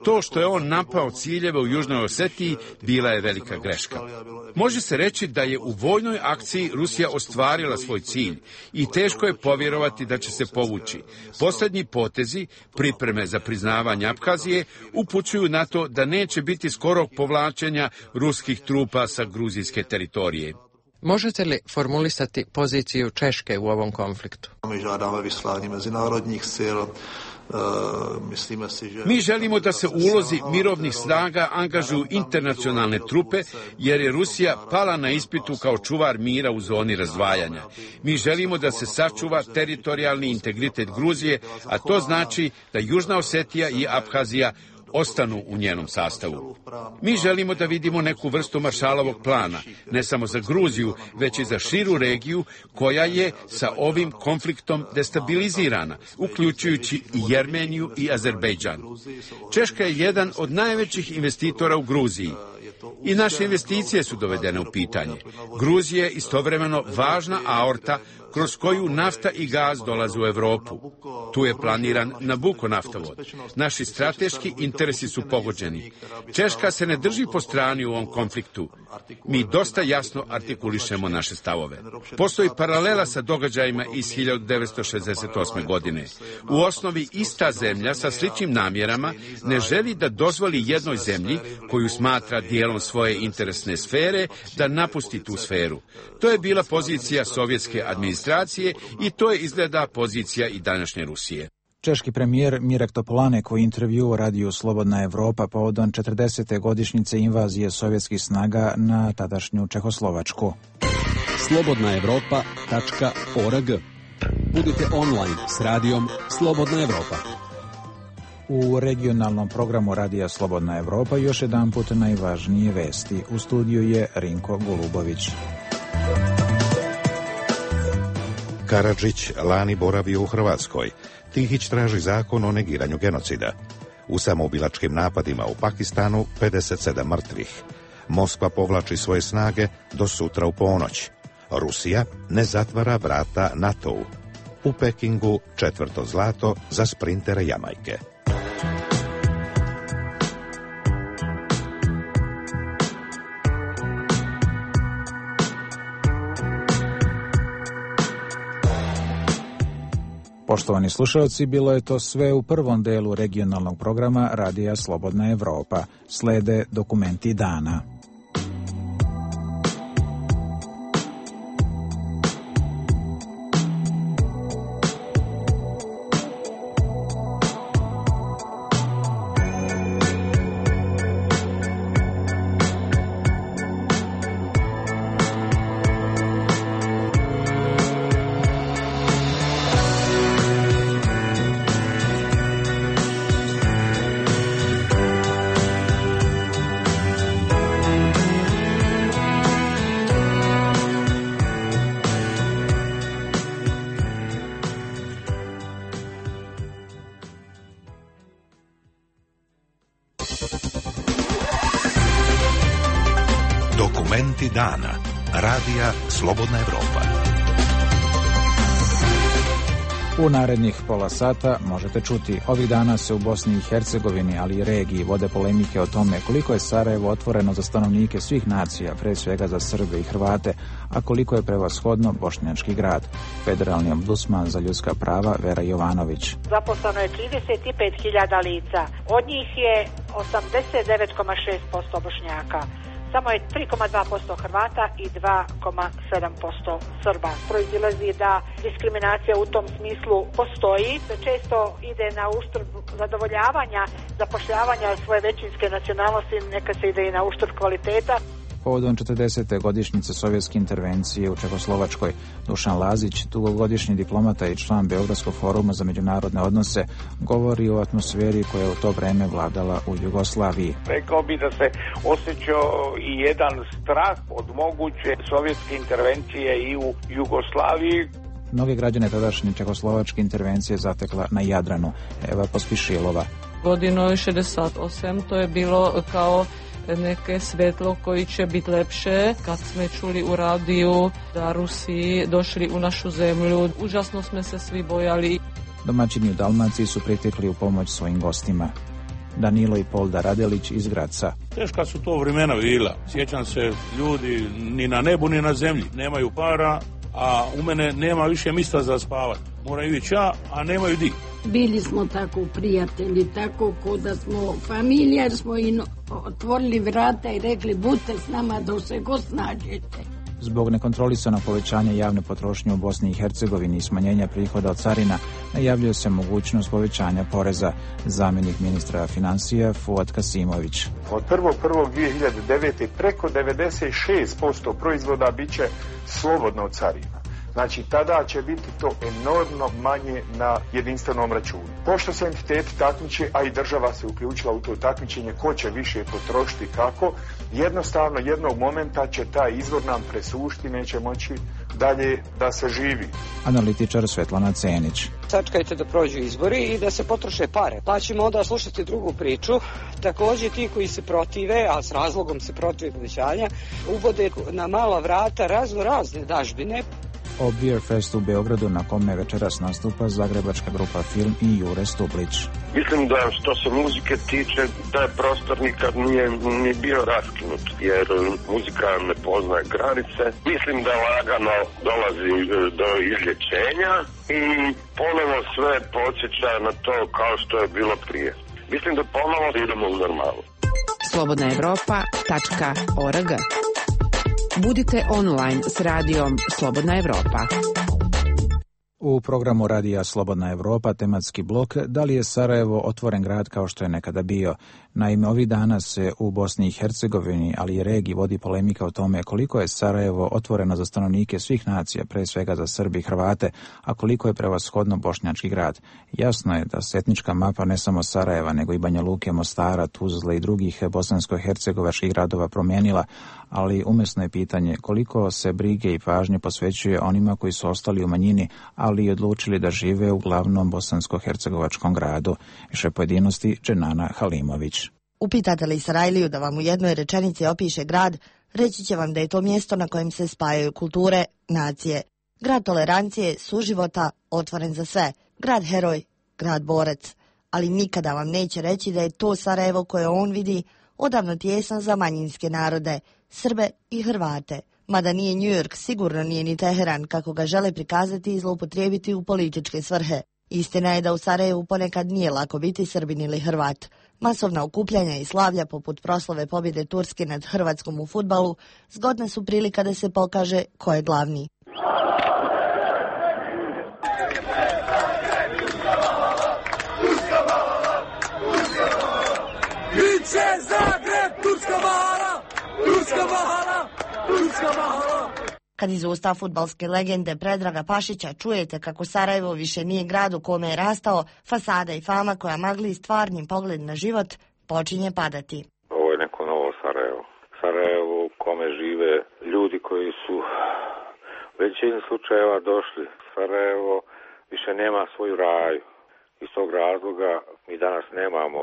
To što je on napao ciljeve u Južnoj Osetiji bila je velika greška. Može se reći da je u vojnoj akciji Rusija ostvarila svoj cilj i teško je povjerovati da će se povući. Posljednji potezi, pripreme za priznavanje Abhazije, upućuju na to da neće biti skorog povlačenja ruskih trupa sa gruzijske teritorije. Možete li formulisati poziciju Češke u ovom konfliktu? Mi žádáme vyslání mezinárodních sil. Mi želimo da se u ulozi mirovnih snaga angažuju internacionalne trupe, jer je Rusija pala na ispitu kao čuvar mira u zoni razdvajanja. Mi želimo da se sačuva teritorijalni integritet Gruzije, a to znači da Južna Osetija i Abhazija ostanu u njenom sastavu. Mi želimo da vidimo neku vrstu Maršalovog plana, ne samo za Gruziju, već i za širu regiju koja je sa ovim konfliktom destabilizirana, uključujući i Jermeniju i Azerbejdžan. Češka je jedan od najvećih investitora u Gruziji. I naše investicije su dovedene u pitanje. Gruzija je istovremeno važna aorta kroz koju nafta i gaz dolaze u Europu. Tu je planiran Nabucco naftovod. Naši strateški interesi su pogođeni. Češka se ne drži po strani u ovom konfliktu. Mi dosta jasno artikulišemo naše stavove. Postoji paralela sa događajima iz 1968. godine. U osnovi ista zemlja sa sličnim namjerama ne želi da dozvoli jednoj zemlji koju smatra dijelom svoje interesne sfere da napusti tu sferu. To je bila pozicija sovjetske administracije i to je izgleda pozicija i današnje Rusije. Češki premijer Mirek Topolanek u intervju radiju Slobodna Evropa povodom 40. godišnjice invazije sovjetskih snaga na tadašnju Čehoslovačku. slobodnaevropa.org. Budite online s radijom Slobodna Evropa. U regionalnom programu radija Slobodna Evropa još jedan put najvažnije vesti. U studiju je Rinko Golubović. Karadžić lani boravio u Hrvatskoj. Tihić traži zakon o negiranju genocida. U samoubilačkim napadima u Pakistanu 57 mrtvih. Moskva povlači svoje snage do sutra u ponoć. Rusija ne zatvara vrata NATO-u. U Pekingu 4. zlato za sprintere Jamajke. Poštovani slušalci, bilo je to sve u prvom delu regionalnog programa Radija Slobodna Evropa. Slede dokumenti dana. Dokumenti dana. Radija Slobodna Evropa. U narednih pola sata možete čuti, ovih dana se u Bosni i Hercegovini, ali i regiji, vode polemike o tome koliko je Sarajevo otvoreno za stanovnike svih nacija, pre svega za Srbe i Hrvate, a koliko je prevashodno bošnjački grad. Federalni ombudsman za ljudska prava Vera Jovanović. Zaposleno je 35.000 lica, od njih je 89,6% Bošnjaka. Samo je 3,2% Hrvata i 2,7% Srba. Proizilazi da diskriminacija u tom smislu postoji, da često ide na uštrb zadovoljavanja, zapošljavanja svoje većinske nacionalnosti, neka se ide i na uštrb kvaliteta. Povodom 40. godišnjice sovjetske intervencije u Čehoslovačkoj, Dušan Lazić, dugogodišnji diplomata i član Beogradskog foruma za međunarodne odnose, govori o atmosferi koja je u to vreme vladala u Jugoslaviji. Rekao bi da se osjećao i jedan strah od moguće sovjetske intervencije i u Jugoslaviji. Mnoge građane tadašnje čehoslovačke intervencije zatekla na Jadranu. Eva Pospišilova. Godinu 68 to je bilo kao neke svetlo koji će biti lepše. Kad smo čuli u radiju da Rusi došli u našu zemlju, užasno smo se svi bojali. Domaćini u Dalmaciji su pritekli u pomoć svojim gostima. Danilo i Polda Radelić iz Graca. Teška su to vremena bila. Sjećam se, ljudi ni na nebu ni na zemlji nemaju para, a u mene nema više mjesta za spavati. Moraju ići a nemaju di. Bili smo tako prijatelji, tako ko da smo familija, jer smo im otvorili vrata i rekli budite s nama dok se god snađete. Zbog nekontrolisanog povećanja javne potrošnje u Bosni i Hercegovini i smanjenja prihoda od carina, najavljuje se mogućnost povećanja poreza. Zamjenik ministra financija Fuad Kasimović. Od 1.1.2009. preko 96% proizvoda bit će slobodno od carina. Znači, tada će biti to enormno manje na jedinstvenom računu. Pošto se entiteti takmiče, a i država se uključila u to takmičenje, ko će više potrošiti kako, jednostavno jednog momenta će taj izvor nam presušti, neće moći dalje da se živi. Analitičar Svetlana Cenić. Sačekajte da prođu izbori i da se potroše pare. Pa ćemo onda slušati drugu priču. Također ti koji se protive, a s razlogom se protive povećanja, uvode na mala vrata razne dažbine. O Beer Festu u Beogradu, na kome večeras nastupa zagrebačka grupa Film i Jure Stublić. Mislim da što se muzike tiče, taj prostor nikad nije ni bio raskinut, jer muzika ne poznaje granice. Mislim da lagano dolazi do izlječenja i ponovo sve podsjeća na to kao što je bilo prije. Mislim da ponovo idemo u normalu. slobodnaevropa.org. Budite online s radijom Slobodna Evropa. U programu radija Slobodna Evropa tematski blok da li je Sarajevo otvoren grad kao što je nekada bio. Naime, ovih dana se u Bosni i Hercegovini, ali i regiji vodi polemika o tome koliko je Sarajevo otvoreno za stanovnike svih nacija, pre svega za Srbi i Hrvate, a koliko je prevashodno bošnjački grad. Jasno je da se etnička mapa ne samo Sarajeva, nego i Banja Luke, Mostara, Tuzle i drugih bosansko-hercegovačkih gradova promijenila, ali umjesno je pitanje koliko se brige i pažnje posvećuje onima koji su ostali u manjini, ali i odlučili da žive u glavnom bosansko-hercegovačkom gradu. Više pojedinosti Dženana Halimović. Upitate li Sarajliju da vam u jednoj rečenici opiše grad, reći će vam da je to mjesto na kojem se spajaju kulture, nacije. Grad tolerancije, suživota, otvoren za sve. Grad heroj, grad borac. Ali nikada vam neće reći da je to Sarajevo koje on vidi odavno tijesan za manjinske narode, Srbe i Hrvate. Mada nije New York, sigurno nije ni Teheran, kako ga žele prikazati i zloupotrijebiti u političke svrhe. Istina je da u Sarajevu ponekad nije lako biti Srbin ili Hrvat. Masovna okupljanja i slavlja poput proslave pobjede Turske nad Hrvatskom u fudbalu zgodna su prilika da se pokaže ko je glavni. Biće Zagreb, Turska mahala, Turska mahala, Turska mahala. Kad iz usta fudbalske legende Predraga Pašića čujete kako Sarajevo više nije grad u kome je rastao, fasada i fama koja magli stvarnim pogled na život počinje padati. Ovo je neko novo Sarajevo. Sarajevo u kome žive ljudi koji su u većini slučajeva došli. Sarajevo više nema svoju raju. Iz tog razloga mi danas nemamo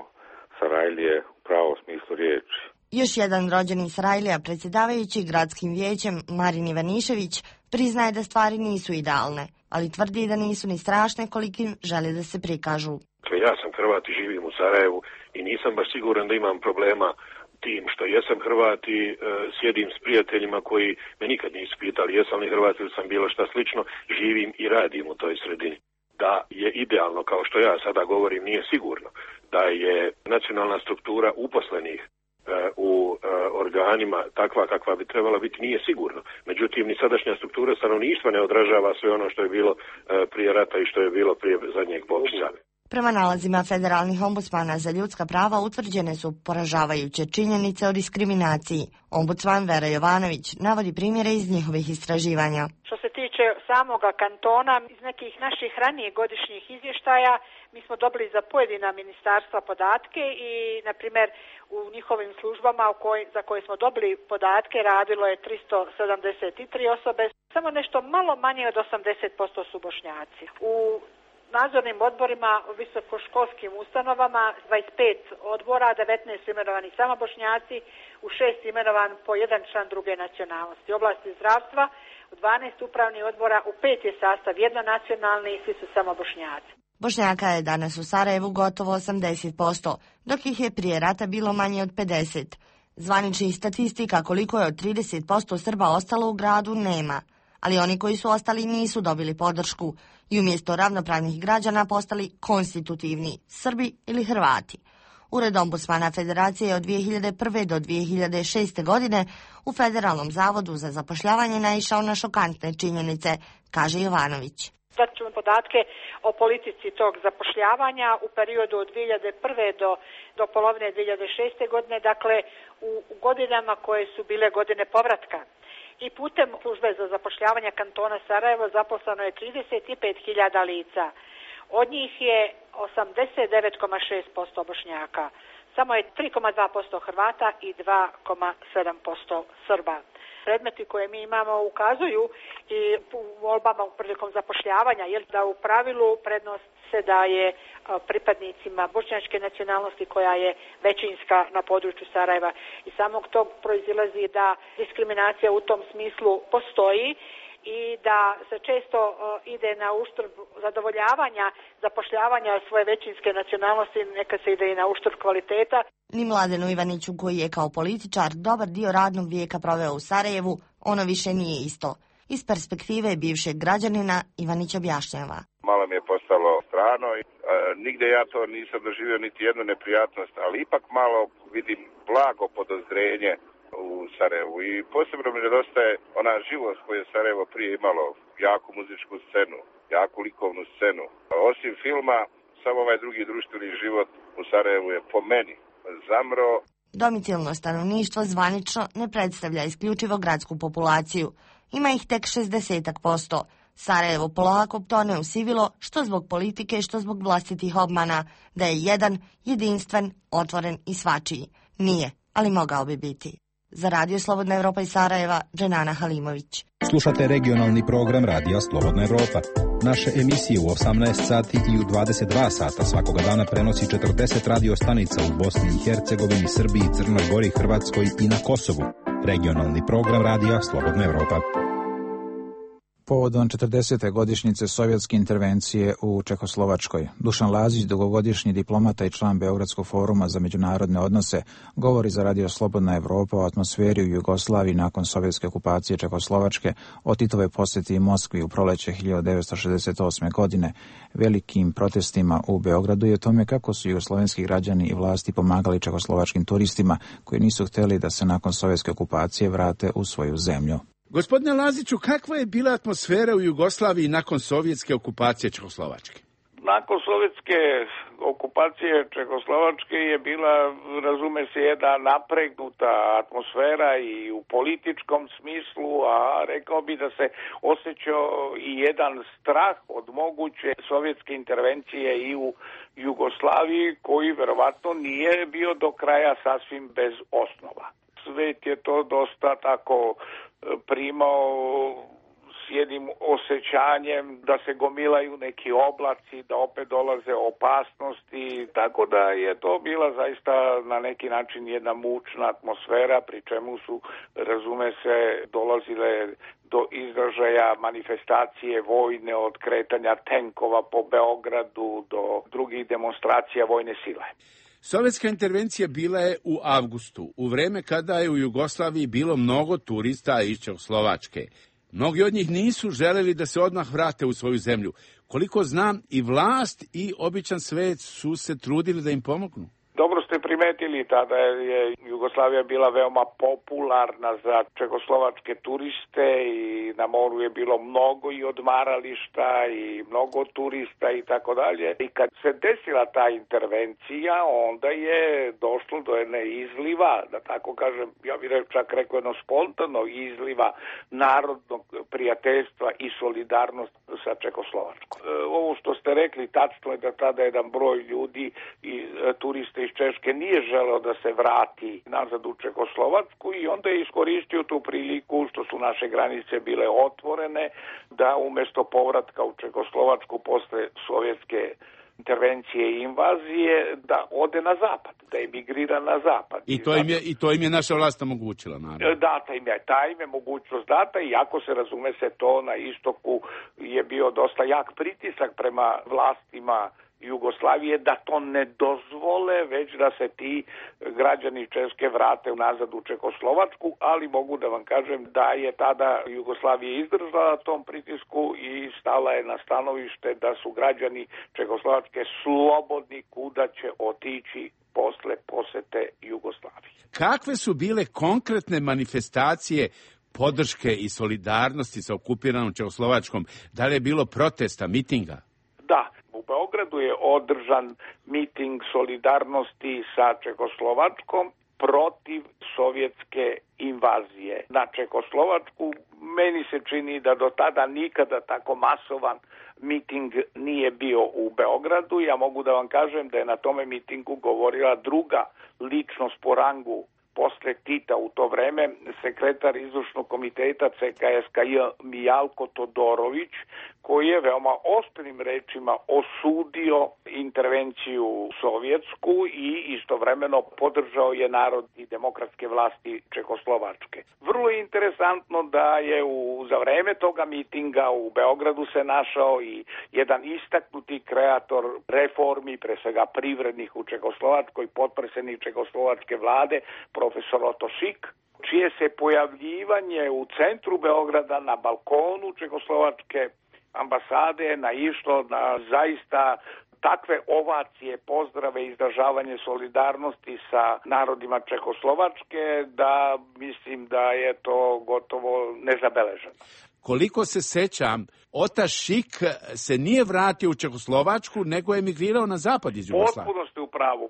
Sarajlije u pravom smislu riječi. Još jedan rođeni Sarajlija, predsjedavajući gradskim vijećem Marin Ivanišević, priznaje da stvari nisu idealne, ali tvrdi da nisu ni strašne kolikim žele da se prikažu. Ja sam Hrvat i živim u Sarajevu i nisam baš siguran da imam problema tim što jesam Hrvat i sjedim s prijateljima koji me nikad nisu pitali jesam li Hrvat ili sam bilo šta slično, živim i radim u toj sredini. Da je idealno, kao što ja sada govorim, nije sigurno. Da je nacionalna struktura uposlenih u organima takva kakva bi trebala biti, nije sigurno. Međutim, ni sadašnja struktura stanovništva ne odražava sve ono što je bilo prije rata i što je bilo prije zadnjeg popisa. Prema nalazima federalnih ombudsmana za ljudska prava utvrđene su poražavajuće činjenice o diskriminaciji. Ombudsman Vera Jovanović navodi primjere iz njihovih istraživanja. Što se tiče samoga kantona, iz nekih naših ranijih godišnjih izvještaja mi smo dobili za pojedina ministarstva podatke i, na primjer, u njihovim službama za koje smo dobili podatke radilo je 373 osobe, samo nešto malo manje od 80% su Bošnjaci. U nadzornim odborima u visokoškolskim ustanovama 25 odbora, 19 imenovani samo Bošnjaci, u 6 imenovan po jedan član druge nacionalnosti. U oblasti zdravstva u 12 upravnih odbora, u 5 je sastav jednonacionalni i svi su samo Bošnjaci. Bošnjaka je danas u Sarajevu gotovo 80%, dok ih je prije rata bilo manje od 50%. Zvaničnih statistika koliko je od 30% Srba ostalo u gradu nema, ali oni koji su ostali nisu dobili podršku i umjesto ravnopravnih građana postali konstitutivni Srbi ili Hrvati. Ured ombudsmana Federacije od 2001. do 2006. godine u Federalnom zavodu za zapošljavanje naišao na šokantne činjenice, kaže Jovanović. Dat ću vam podatke o politici tog zapošljavanja u periodu od 2001. do polovine 2006. godine, dakle u godinama koje su bile godine povratka. I putem službe za zapošljavanje kantona Sarajevo zaposleno je 35.000 lica. Od njih je 89,6% Bošnjaka. Samo je 3,2% Hrvata i 2,7% Srba. Predmeti koje mi imamo ukazuju i u volbama prilikom zapošljavanja, jer da u pravilu prednost se daje pripadnicima bošnjačke nacionalnosti koja je većinska na području Sarajeva. I samog tog proizilazi da diskriminacija u tom smislu postoji i da se često ide na uštrb zadovoljavanja, zapošljavanja svoje većinske nacionalnosti, neka se ide i na uštrb kvaliteta. Ni Mladenu Ivaniću, koji je kao političar dobar dio radnog vijeka proveo u Sarajevu, ono više nije isto. Iz perspektive bivšeg građanina Ivanić objašnjava. Malo mi je postalo strano i nigdje ja to nisam doživio niti jednu neprijatnost, ali ipak malo vidim blago podozrenje u Sarajevu i posebno mi nedostaje ona živost koju je Sarajevo prije imalo, jaku muzičku scenu, jaku likovnu scenu. Osim filma, samo ovaj drugi društveni život u Sarajevu je po meni zamro. Domicilno stanovništvo zvanično ne predstavlja isključivo gradsku populaciju. Ima ih tek 60%. Sarajevo polako tone u sivilo, što zbog politike, što zbog vlastitih obmana, da je jedan, jedinstven, otvoren i svačiji. Nije, ali mogao bi biti. Za Radio Slobodna Evropa iz Sarajeva, Dženana Halimović. Slušate regionalni program Radija Slobodna Evropa. Naše emisije u 18 sati i u 22 sata svakoga dana prenosi 40 radio stanica u Bosni i Hercegovini, Srbiji, Crnoj Gori, Hrvatskoj i na Kosovu. Regionalni program Radija Slobodna Evropa. Povodom 40. godišnjice sovjetske intervencije u Čehoslovačkoj, Dušan Lazić, dugogodišnji diplomata i član Beogradskog foruma za međunarodne odnose, govori za Radio Slobodna Evropa o atmosferi u Jugoslaviji nakon sovjetske okupacije Čehoslovačke, o Titovoj posjeti Moskvi u proleće 1968. godine, velikim protestima u Beogradu i o tome kako su jugoslovenski građani i vlasti pomagali čehoslovačkim turistima koji nisu htjeli da se nakon sovjetske okupacije vrate u svoju zemlju. Gospodine Laziću, kakva je bila atmosfera u Jugoslaviji nakon sovjetske okupacije Čehoslovačke? Nakon sovjetske okupacije Čehoslovačke je bila, razume se, jedna napregnuta atmosfera i u političkom smislu, a rekao bi da se osjećao i jedan strah od moguće sovjetske intervencije i u Jugoslaviji, koji verovatno nije bio do kraja sasvim bez osnova. Svet je to dosta tako primao s jednim osjećanjem da se gomilaju neki oblaci, da opet dolaze opasnosti, tako da je to bila zaista na neki način jedna mučna atmosfera, pri čemu su, razume se, dolazile do izražaja manifestacije vojne, od kretanja tenkova po Beogradu do drugih demonstracija vojne sile. Sovjetska intervencija bila je u avgustu, u vreme kada je u Jugoslaviji bilo mnogo turista iz Čehoslovačke. Mnogi od njih nisu želeli da se odmah vrate u svoju zemlju. Koliko znam, i vlast i običan svet su se trudili da im pomognu. Dobro ste primetili, tada je Jugoslavija bila veoma popularna za čehoslovačke turiste i na moru je bilo mnogo i odmarališta i mnogo turista i tako dalje. I kad se desila ta intervencija, onda je došlo do jedne izliva, da tako kažem, ja bih čak rekao jedno spontano izliva narodnog prijateljstva i solidarnosti sa Čehoslovačkom. Ovo što ste rekli, tačno je da tada jedan broj ljudi i turiste iz Češke nije želeo da se vrati nazad u Čehoslovačku i onda je iskoristio tu priliku što su naše granice bile otvorene da umjesto povratka u Čehoslovačku posle sovjetske intervencije i invazije da ode na zapad, da emigrira na zapad. I to im je naša vlast omogućila, naravno. Data im je mogućnost data, iako se razume se to na istoku je bio dosta jak pritisak prema vlastima Jugoslavije da to ne dozvole, već da se ti građani Češke vrate nazad u Čehoslovačku, ali mogu da vam kažem da je tada Jugoslavija izdržala tom pritisku i stala je na stanovište da su građani Čehoslovačke slobodni kuda će otići posle posete Jugoslavije. Kakve su bile konkretne manifestacije podrške i solidarnosti sa okupiranom Čehoslovačkom? Da li je bilo protesta, mitinga? Da. U Beogradu je održan miting solidarnosti sa Čehoslovačkom protiv sovjetske invazije na Čehoslovačku. Meni se čini da do tada nikada tako masovan miting nije bio u Beogradu. Ja mogu da vam kažem da je na tome mitingu govorila druga ličnost po rangu posle Tita u to vreme, sekretar izvršnog komiteta CKSKJ Mijalko Todorović, koji je veoma oštrim rečima osudio intervenciju sovjetsku i istovremeno podržao je narod i demokratske vlasti Čehoslovačke. Vrlo je interesantno da je za vreme toga mitinga u Beogradu se našao i jedan istaknuti kreator reformi, pre svega privrednih u Čehoslovačkoj, potpredsjednik Čehoslovačke vlade, profesor Oto Šik, čije se pojavljivanje u centru Beograda na balkonu Čehoslovačke ambasade naišlo na zaista takve ovacije, pozdrave i izražavanje solidarnosti sa narodima Čehoslovačke da mislim da je to gotovo nezabeleženo. Koliko se sećam, Ota Šik se nije vratio u Čehoslovačku, nego je emigrirao na zapad iz Jugoslavije.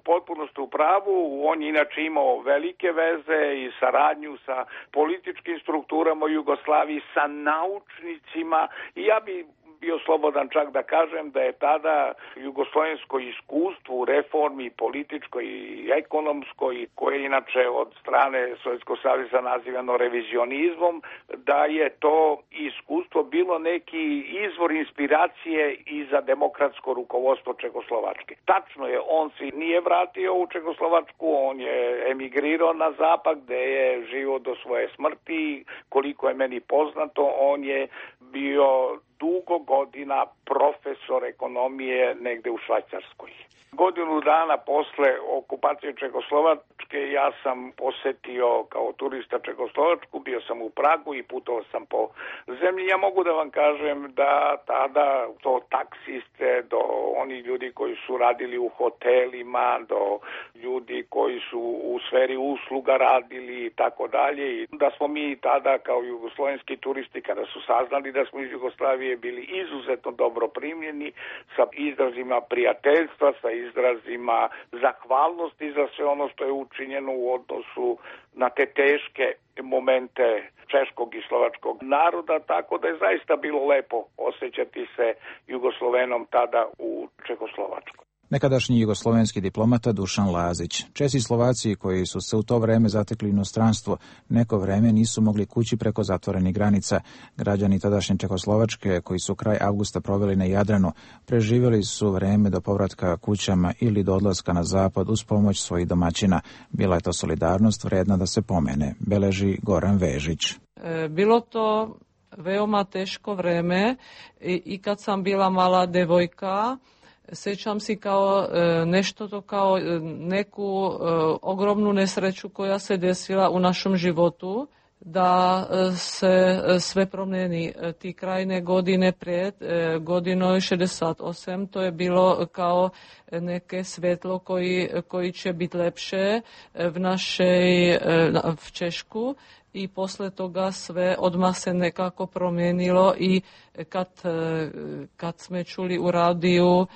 Potpuno ste u pravu. On je inače imao velike veze i saradnju sa političkim strukturama u Jugoslaviji, sa naučnicima i ja bi bio slobodan čak da kažem da je tada jugoslovensko iskustvo u reformi političkoj i ekonomskoj, koje je inače od strane Sovjetskog saveza nazivano revizionizmom, da je to iskustvo bilo neki izvor inspiracije i za demokratsko rukovodstvo Čehoslovačke. Tačno je, on se nije vratio u Čehoslovačku, on je emigrirao na zapad gde je živio do svoje smrti. Koliko je meni poznato, on je bio dugo godina profesor ekonomije negde u Švajcarskoj. Godinu dana posle okupacije Čehoslovačke ja sam posetio kao turista Čehoslovačku, bio sam u Pragu i putovao sam po zemlji. Ja mogu da vam kažem da tada to taksiste, do oni ljudi koji su radili u hotelima, do ljudi koji su u sferi usluga radili i tako dalje. I da smo mi tada kao jugoslovenski turisti, kada su saznali da smo iz Jugoslavije, bili izuzetno dobro primljeni sa izrazima prijateljstva, sa izrazima zahvalnosti za sve ono što je učinjeno u odnosu na te teške momente češkog i slovačkog naroda, tako da je zaista bilo lepo osjećati se Jugoslovenom tada u Čehoslovačkoj. Nekadašnji jugoslovenski diplomata Dušan Lazić. Česi i Slovaci koji su se u to vreme zatekli inostranstvo, neko vreme nisu mogli kući preko zatvorenih granica. Građani tadašnje Čehoslovačke, koji su kraj avgusta proveli na Jadranu, preživjeli su vreme do povratka kućama ili do odlaska na zapad uz pomoć svojih domaćina. Bila je to solidarnost vredna da se pomene, beleži Goran Vežić. Bilo to veoma teško vreme i kad sam bila mala devojka, sjećam si kao nešto to kao neku ogromnu nesreću koja se desila u našem životu, da se sve promijeni. Ti krajne godine pred godinom 68, to je bilo kao neke svetlo koji će biti lepše v Češku. I posle toga sve odmah se nekako promijenilo i kad smo čuli u radiju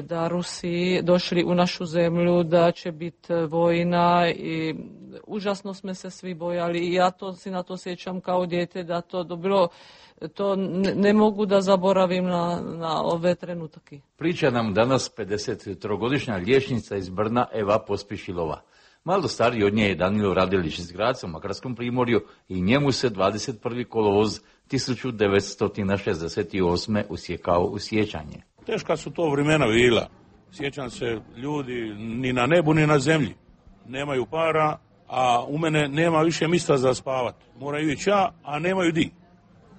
da Rusi došli u našu zemlju, da će biti vojna i užasno smo se svi bojali i ja si na to sjećam kao dijete da to bilo, to ne mogu da zaboravim na ove trenutke. Priča nam danas 53-godišnja liječnica iz Brna Eva Pospišilova. Malo stariji od nje je Danilo Radelić iz Gradca u Makarskom primorju i njemu se 21. kolovoz 1968. usjekao u sjećanje. Teška su to vremena bila. Sjećam se, ljudi ni na nebu ni na zemlji nemaju para, a u mene nema više mjesta za spavat. Moraju ići ja, a nemaju di.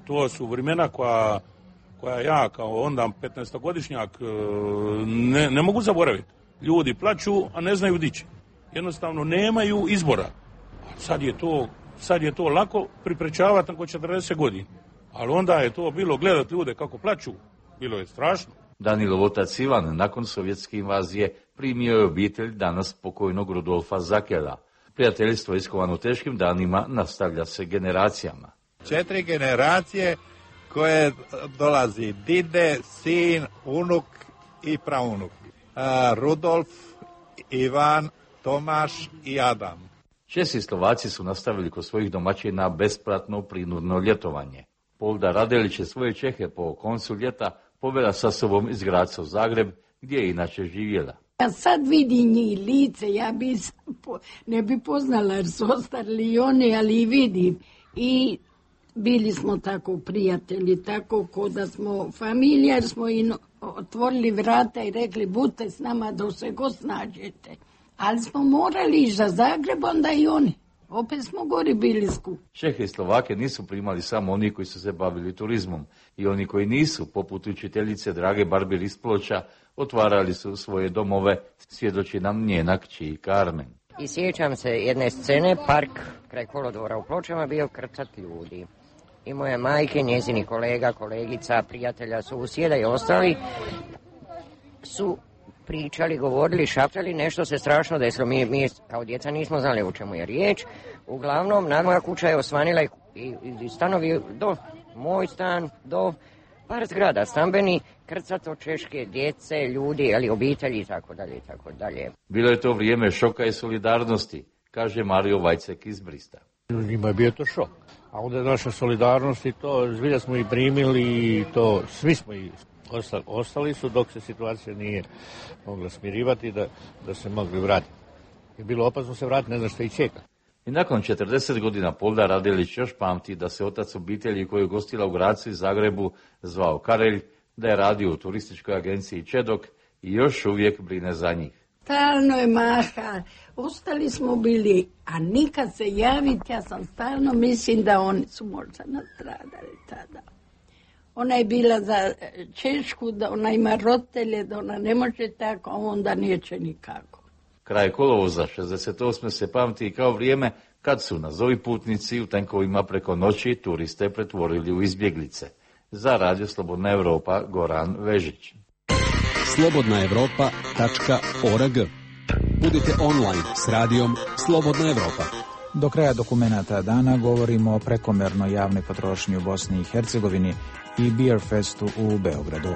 To su vremena koja ja kao onda 15-godišnjak ne mogu zaboraviti. Ljudi plaću, a ne znaju di će. Jednostavno nemaju izbora. Sad je to lako priprečavati nakon 40 godina. Ali onda je to bilo gledati ljude kako plaću. Bilo je strašno. Danilov otac Ivan nakon sovjetske invazije primio je obitelj danas pokojnog Rudolfa Zakela. Prijateljstvo iskovano teškim danima nastavlja se generacijama. 4 generacije koje dolazi dide, sin, unuk i praunuk. Rudolf, Ivan, Tomaš i Adam. Česi i Slovaci su nastavili kod svojih domaćina besplatno prinudno ljetovanje. Polda Radelić je svoje Čehe po koncu ljeta povela sa sobom iz Gradca u Zagreb, gdje je inače živjela. Ja sad vidim njih lice, ja ne bi poznala jer su ostarili i oni, ali i vidim. I bili smo tako prijatelji, tako ko da smo familija, jer smo im otvorili vrata i rekli budite s nama dok se god snađete. Ali smo morali ići za Zagreb, onda i oni. Opet smo gori bili skup. Čehe i Slovake nisu primali samo oni koji su se bavili turizmom. I oni koji nisu, poput učiteljice Drage Barbir iz Ploča, otvarali su svoje domove, svjedoči nam njena kći Karmen. I sjećam se jedne scene, park kraj kolodvora u Pločama bio krcat ljudi. I moje majke, njezini kolega, kolegica, prijatelja, susjeda i ostali su pričali, govorili, šaptali, nešto se strašno desilo. Mi kao djeca nismo znali o čemu je riječ. Uglavnom, moja kuća je osvanila i stanovi do moj stan, do par zgrada stambeni, krcato češke djece, ljudi, ali obitelji i tako dalje i tako dalje. Bilo je to vrijeme šoka i solidarnosti, kaže Mario Vajcek iz Brista. Njima je bio to šok. A onda je naša solidarnost i to, zbilja smo i primili i to, svi smo i ostali su dok se situacija nije mogla smirivati da se mogli vratiti. Je bilo opasno se vratiti, ne znam šta i čeka. I nakon 40 godina Polda Radelić još pamti da se otac obitelji koju je gostila u Gradcu i Zagrebu zvao Karelj, da je radio u turističkoj agenciji Čedok i još uvijek brine za njih. Stalno je maha, ostali smo bili, a nikad se javiti, ja sam stalno mislim da oni su možda nastradali tada. Ona je bila za Češku, da ona ima roditelje, da ona ne može tako, a onda neće nikako. Kraj kolovoza 68. se pamti kao vrijeme kad su nazovi putnici u tenkovima preko noći turiste pretvorili u izbjeglice. Za Radio Slobodna Evropa, Goran Vežić. slobodnaevropa.org. Budite online s radijom Slobodna Evropa. Do kraja dokumenata dana govorimo o prekomernoj javnoj potrošnji u Bosni i Hercegovini i Beer Festu u Beogradu.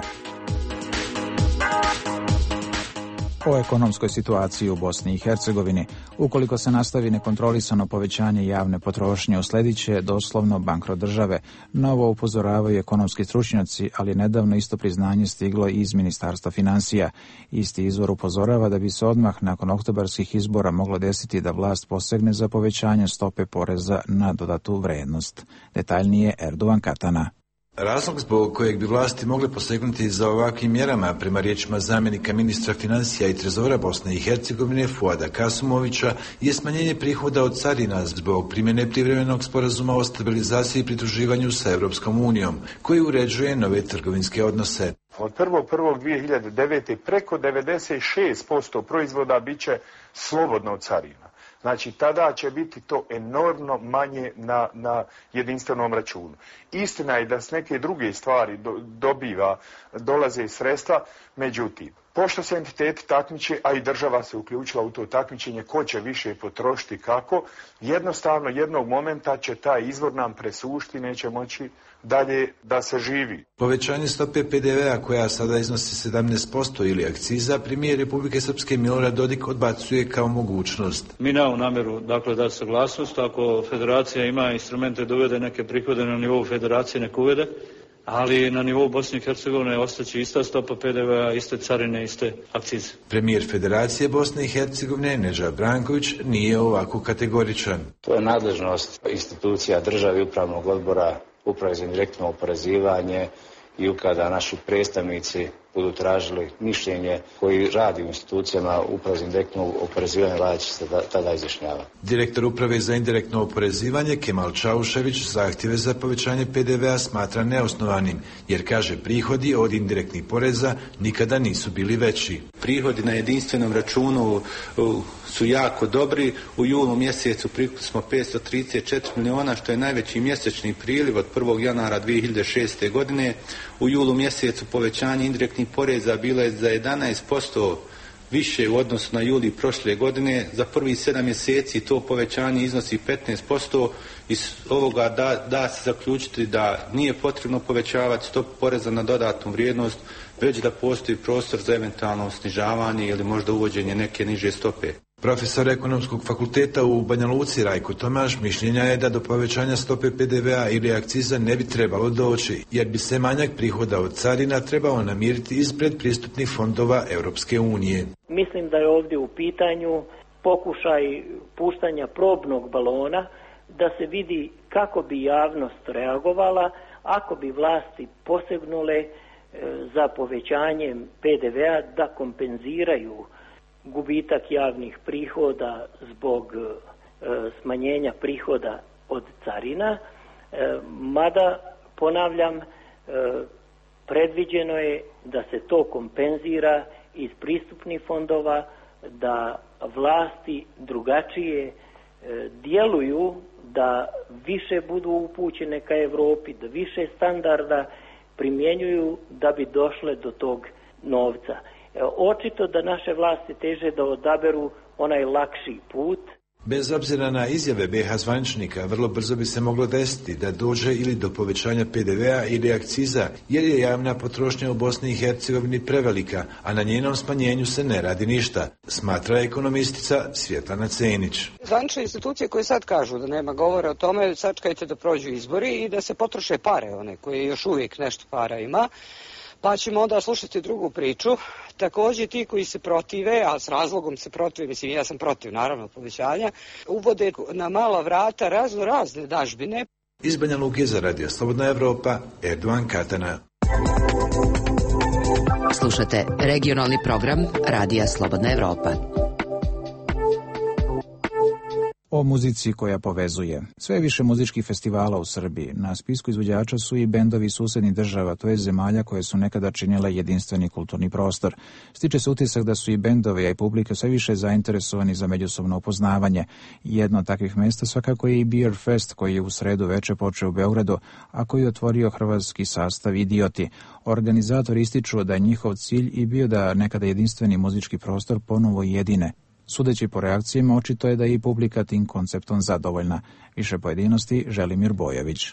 O ekonomskoj situaciji u Bosni i Hercegovini. Ukoliko se nastavi nekontrolisano povećanje javne potrošnje, usledit će doslovno bankrot države. Novo upozoravaju ekonomski stručnjaci, ali nedavno isto priznanje stiglo i iz Ministarstva financija. Isti izvor upozorava da bi se odmah nakon oktobarskih izbora moglo desiti da vlast posegne za povećanje stope poreza na dodatu vrednost. Detaljnije Erdogan Katana. Razlog zbog kojeg bi vlasti mogle posegnuti za ovakvim mjerama, prema riječima zamjenika ministra financija i trezora Bosne i Hercegovine Fuada Kasumovića, je smanjenje prihoda od carina zbog primjene privremenog sporazuma o stabilizaciji i pridruživanju sa Europskom unijom, koji uređuje nove trgovinske odnose. Od 1.1.2009. preko 96% proizvoda bit će slobodno od carina. Znači, tada će biti to enormno manje na jedinstvenom računu. Istina je da s neke druge stvari dolaze sredstva, međutim, pošto se entiteti takmiče, a i država se uključila u to takmičenje, ko će više potrošiti kako, jednostavno jednog momenta će taj izvor nam presušiti, neće moći dalje da se živi. Povećanje stope PDV-a koja sada iznosi 17% ili akciza, premijer Republike Srpske Milorad Dodik odbacuje kao mogućnost. Mi nemamo namjeru da saglasnost, ako federacija ima instrumente da uvede neke prihode na nivou federacije, nek uvede, ali na nivou Bosne i Hercegovine ostaće ista stopa PDV-a, iste carine, iste akcize. Premijer Federacije Bosne i Hercegovine Nedžad Branković nije ovako kategoričan. To je nadležnost institucija države i upravnog odbora, uprave za direktno oporezivanje, i kada naši predstavnici budu tražili mišljenje koji radi u institucijama uprave za indirektno oporezivanje, Vlada će se tada izjašnjavati. Direktor uprave za indirektno oporezivanje Kemal Čaušević zahtjeve za povećanje PDV-a smatra neosnovanim, jer kaže prihodi od indirektnih poreza nikada nisu bili veći. Prihodi na jedinstvenom računu su jako dobri. U julu mjesecu prikupili smo 534 miliona, što je najveći mjesečni priliv od 1. januara 2006. godine. U julu mjesecu povećanje indirektnih poreza bilo je za 11% više u odnosu na juli prošle godine. Za prvih 7 mjeseci to povećanje iznosi 15%. Iz ovoga da se zaključiti da nije potrebno povećavati stopu poreza na dodatnu vrijednost, već da postoji prostor za eventualno snižavanje ili možda uvođenje neke niže stope. Profesor Ekonomskog fakulteta u Banja Luci Rajko Tomaš mišljenja je da do povećanja stope PDV-a ili akciza ne bi trebalo doći, jer bi se manjak prihoda od carina trebao namiriti iz predpristupnih fondova Europske unije. Mislim da je ovdje u pitanju pokušaj puštanja probnog balona da se vidi kako bi javnost reagovala ako bi vlasti posegnule za povećanjem PDV-a da kompenziraju gubitak javnih prihoda zbog smanjenja prihoda od carina, mada, ponavljam, predviđeno je da se to kompenzira iz pristupnih fondova, da vlasti drugačije djeluju, da više budu upućene ka Europi, da više standarda primjenjuju da bi došle do tog novca. Očito da naše vlasti teže da odaberu onaj lakši put. Bez obzira na izjave BiH zvaničnika, vrlo brzo bi se moglo desiti da dođe ili do povećanja PDV-a ili akciza, jer je javna potrošnja u Bosni i Hercegovini prevelika, a na njenom smanjenju se ne radi ništa, smatra ekonomistica Svjetlana Cenić. Zvanične institucije koje sad kažu da nema govora o tome, sačekajte da prođu izbori i da se potroše pare, one koje još uvijek nešto para ima, pa ćemo onda slušati drugu priču. Također ti koji se protive, a s razlogom se protive, mislim ja sam protiv naravno povećanja, uvode na mala vrata razne dažbine. Iz Banja Luke za Radio Slobodna Evropa, Erdogan Katana. Slušate regionalni program Radija Slobodna Evropa. O muzici koja povezuje. Sve više muzičkih festivala u Srbiji. Na spisku izvođača su i bendovi susednih država, to je zemalja koje su nekada činile jedinstveni kulturni prostor. Stiče se utisak da su i bendovi, a i publika sve više zainteresovani za međusobno upoznavanje. Jedno od takvih mjesta svakako je i Beer Fest, koji je u sredu veče počeo u Beogradu, a koji je otvorio hrvatski sastav Idioti. Organizatori ističu da je njihov cilj i bio da nekada jedinstveni muzički prostor ponovo jedine. Sudeći po reakcijama, očito je da je i publika tim konceptom zadovoljna. Više pojedinosti Želimir Bojović.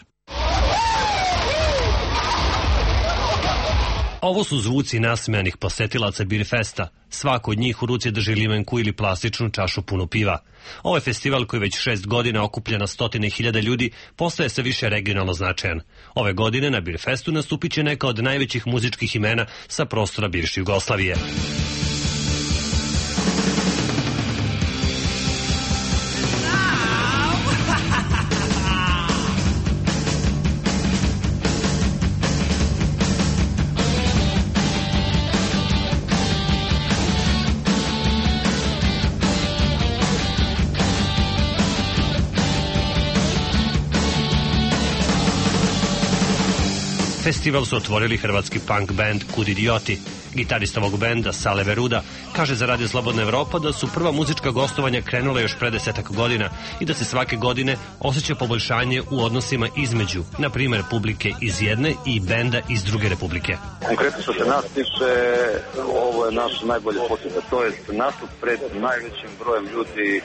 Ovo su zvuci nasmejanih posetilaca Birfesta. Svako od njih u ruci drži limenku ili plastičnu čašu punu piva. Ovaj festival koji već 6 godina okuplja na stotine hiljada ljudi postaje sve više regionalno značajan. Ove godine na Birfestu nastupit će neka od najvećih muzičkih imena sa prostora bivše Jugoslavije. Festival su otvorili hrvatski punk band Kud idioti. Gitarista ovog benda, Sale Veruda, kaže za Radio Slobodna Evropa da su prva muzička gostovanja krenula još pre 10 godina i da se svake godine osjeća poboljšanje u odnosima između, na primjer, publike iz jedne i benda iz druge republike. Konkretno što se nas tiče, ovo je naš najbolji posjeta, to je nastup pred najvećim brojem ljudi,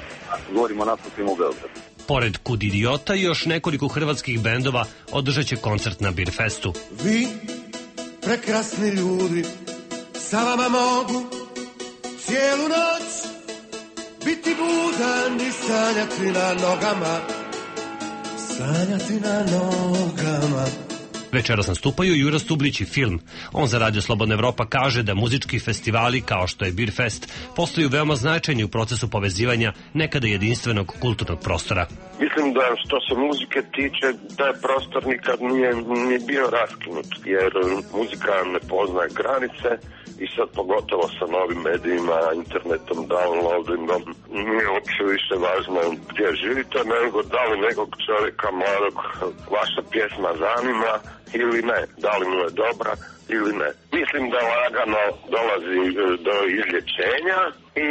govorimo o nastupima u Beogradu. Pored Kud idiota, još nekoliko hrvatskih bendova održat će koncert na Birfestu. Vi, prekrasni ljudi, sa vama mogu cijelu noć biti budan i sanjati na nogama, sanjati na nogama. Večeras nastupaju Jura Stublić i Film. On za Radio Slobodna Evropa kaže da muzički festivali kao što je Birfest postaju veoma značajni u procesu povezivanja nekada jedinstvenog kulturnog prostora. Mislim da što se muzike tiče, taj prostor nikad nije bio raskinut, jer muzika ne poznaje granice i sad pogotovo sa novim medijima, internetom, downloadingom, nije uopće više važno gdje živite, nego da li nekog čovjeka mladog vaša pjesma zanima ili ne, da li mu je dobra ili ne. Mislim da lagano dolazi do izlječenja i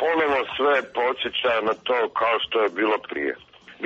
ponovo sve podsjeća na to kao što je bilo prije.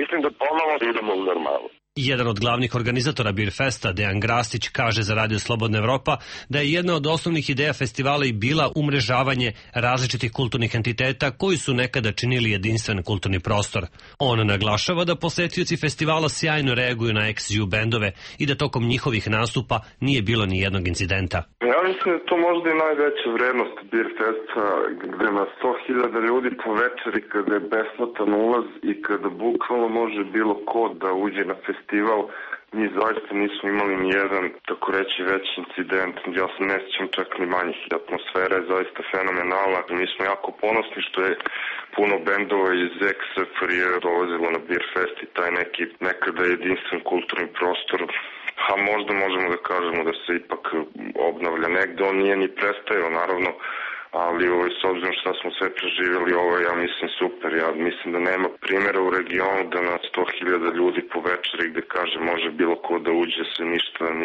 Mislim da ponovo idemo u normalu. Jedan od glavnih organizatora Birfesta, Dejan Grastić, kaže za Radio Slobodna Evropa da je jedna od osnovnih ideja festivala i bila umrežavanje različitih kulturnih entiteta koji su nekada činili jedinstven kulturni prostor. On naglašava da posetioci festivala sjajno reaguju na ex-ju bendove i da tokom njihovih nastupa nije bilo ni jednog incidenta. Ja mislim da to možda i najveća vrednost Birfesta, gde na 100.000 ljudi po večeri, kada je besplatan ulaz i kada bukvalno može bilo ko da uđe na festival, mi zaista nismo imali ni jedan, tako reći, veći incident. Ja se ne sjećam čak ni manjih. Atmosfera je zaista fenomenalna. Mi smo jako ponosni što je puno bendova iz ex-SFRJ dolazilo na Birfest i taj neki nekada jedinstven kulturni prostor. A možda možemo da kažemo da se ipak obnavlja negde. On nije ni prestajao, naravno, ali s obzirom što smo sve preživjeli, ovo je, ja mislim, super. Ja mislim da nema primjera u regionu da na 100.000 ljudi po večeri gde kaže može bilo ko da uđe se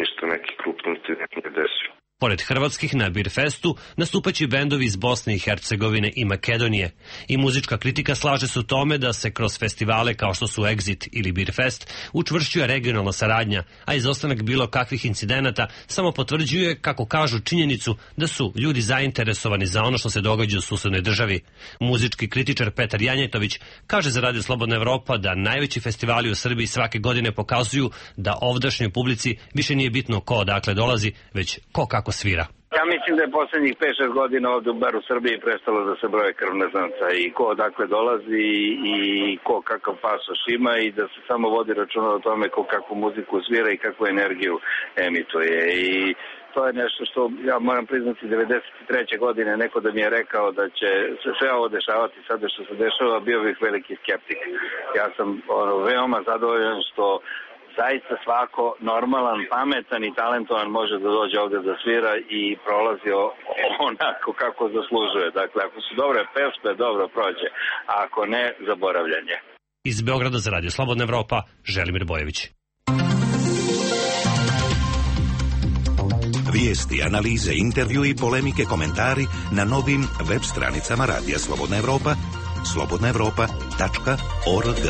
ništa neki krupni incident nije desio. Pored hrvatskih na Birfestu nastupaće bendovi iz Bosne i Hercegovine i Makedonije. I muzička kritika slaže se u tome da se kroz festivale kao što su Exit ili Birfest učvršćuje regionalna saradnja, a izostanak bilo kakvih incidenata samo potvrđuje, kako kažu, činjenicu da su ljudi zainteresovani za ono što se događa u susednoj državi. Muzički kritičar Petar Janjetović kaže za Radio Slobodna Evropa da najveći festivali u Srbiji svake godine pokazuju da ovdašnjoj publici više nije bitno ko odakle dolazi, već ko kako svira. Ja mislim da je posljednjih 5-6 godina ovdje bar u Srbiji prestalo da se broje krvne zrnca i ko odakle dolazi i ko kakav pasoš ima i da se samo vodi računa o tome ko kakvu muziku svira i kakvu energiju emituje. I to je nešto što ja moram priznati 93. godine neko da mi je rekao da će se sve ovo dešavati sada što se dešava, bio bih veliki skeptik. Ja sam veoma zadovoljan što zaista svako normalan, pametan i talentovan može da dođe ovdje da svira i prolazi onako kako zaslužuje. Dakle, ako su dobre pesme, dobro prođe, a ako ne, zaboravljanje. Iz Beograda za Radio Slobodna Evropa, Želimir Bojević. Vijesti, analize, intervju i polemike, komentari na novim web stranicama Radija Slobodna Evropa, slobodnaevropa.org.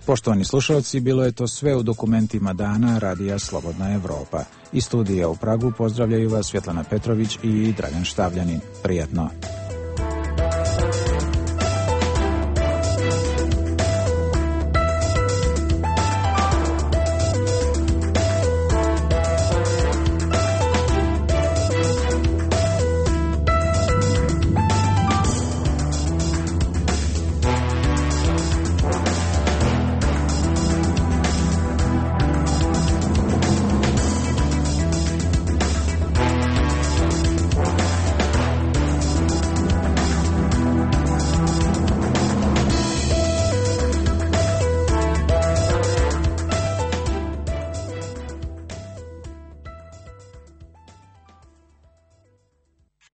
Poštovani slušalci, bilo je to sve u dokumentima dana Radija Slobodna Evropa. Iz studija u Pragu pozdravljaju vas Svjetlana Petrović i Dragan Štavljanin. Prijatno.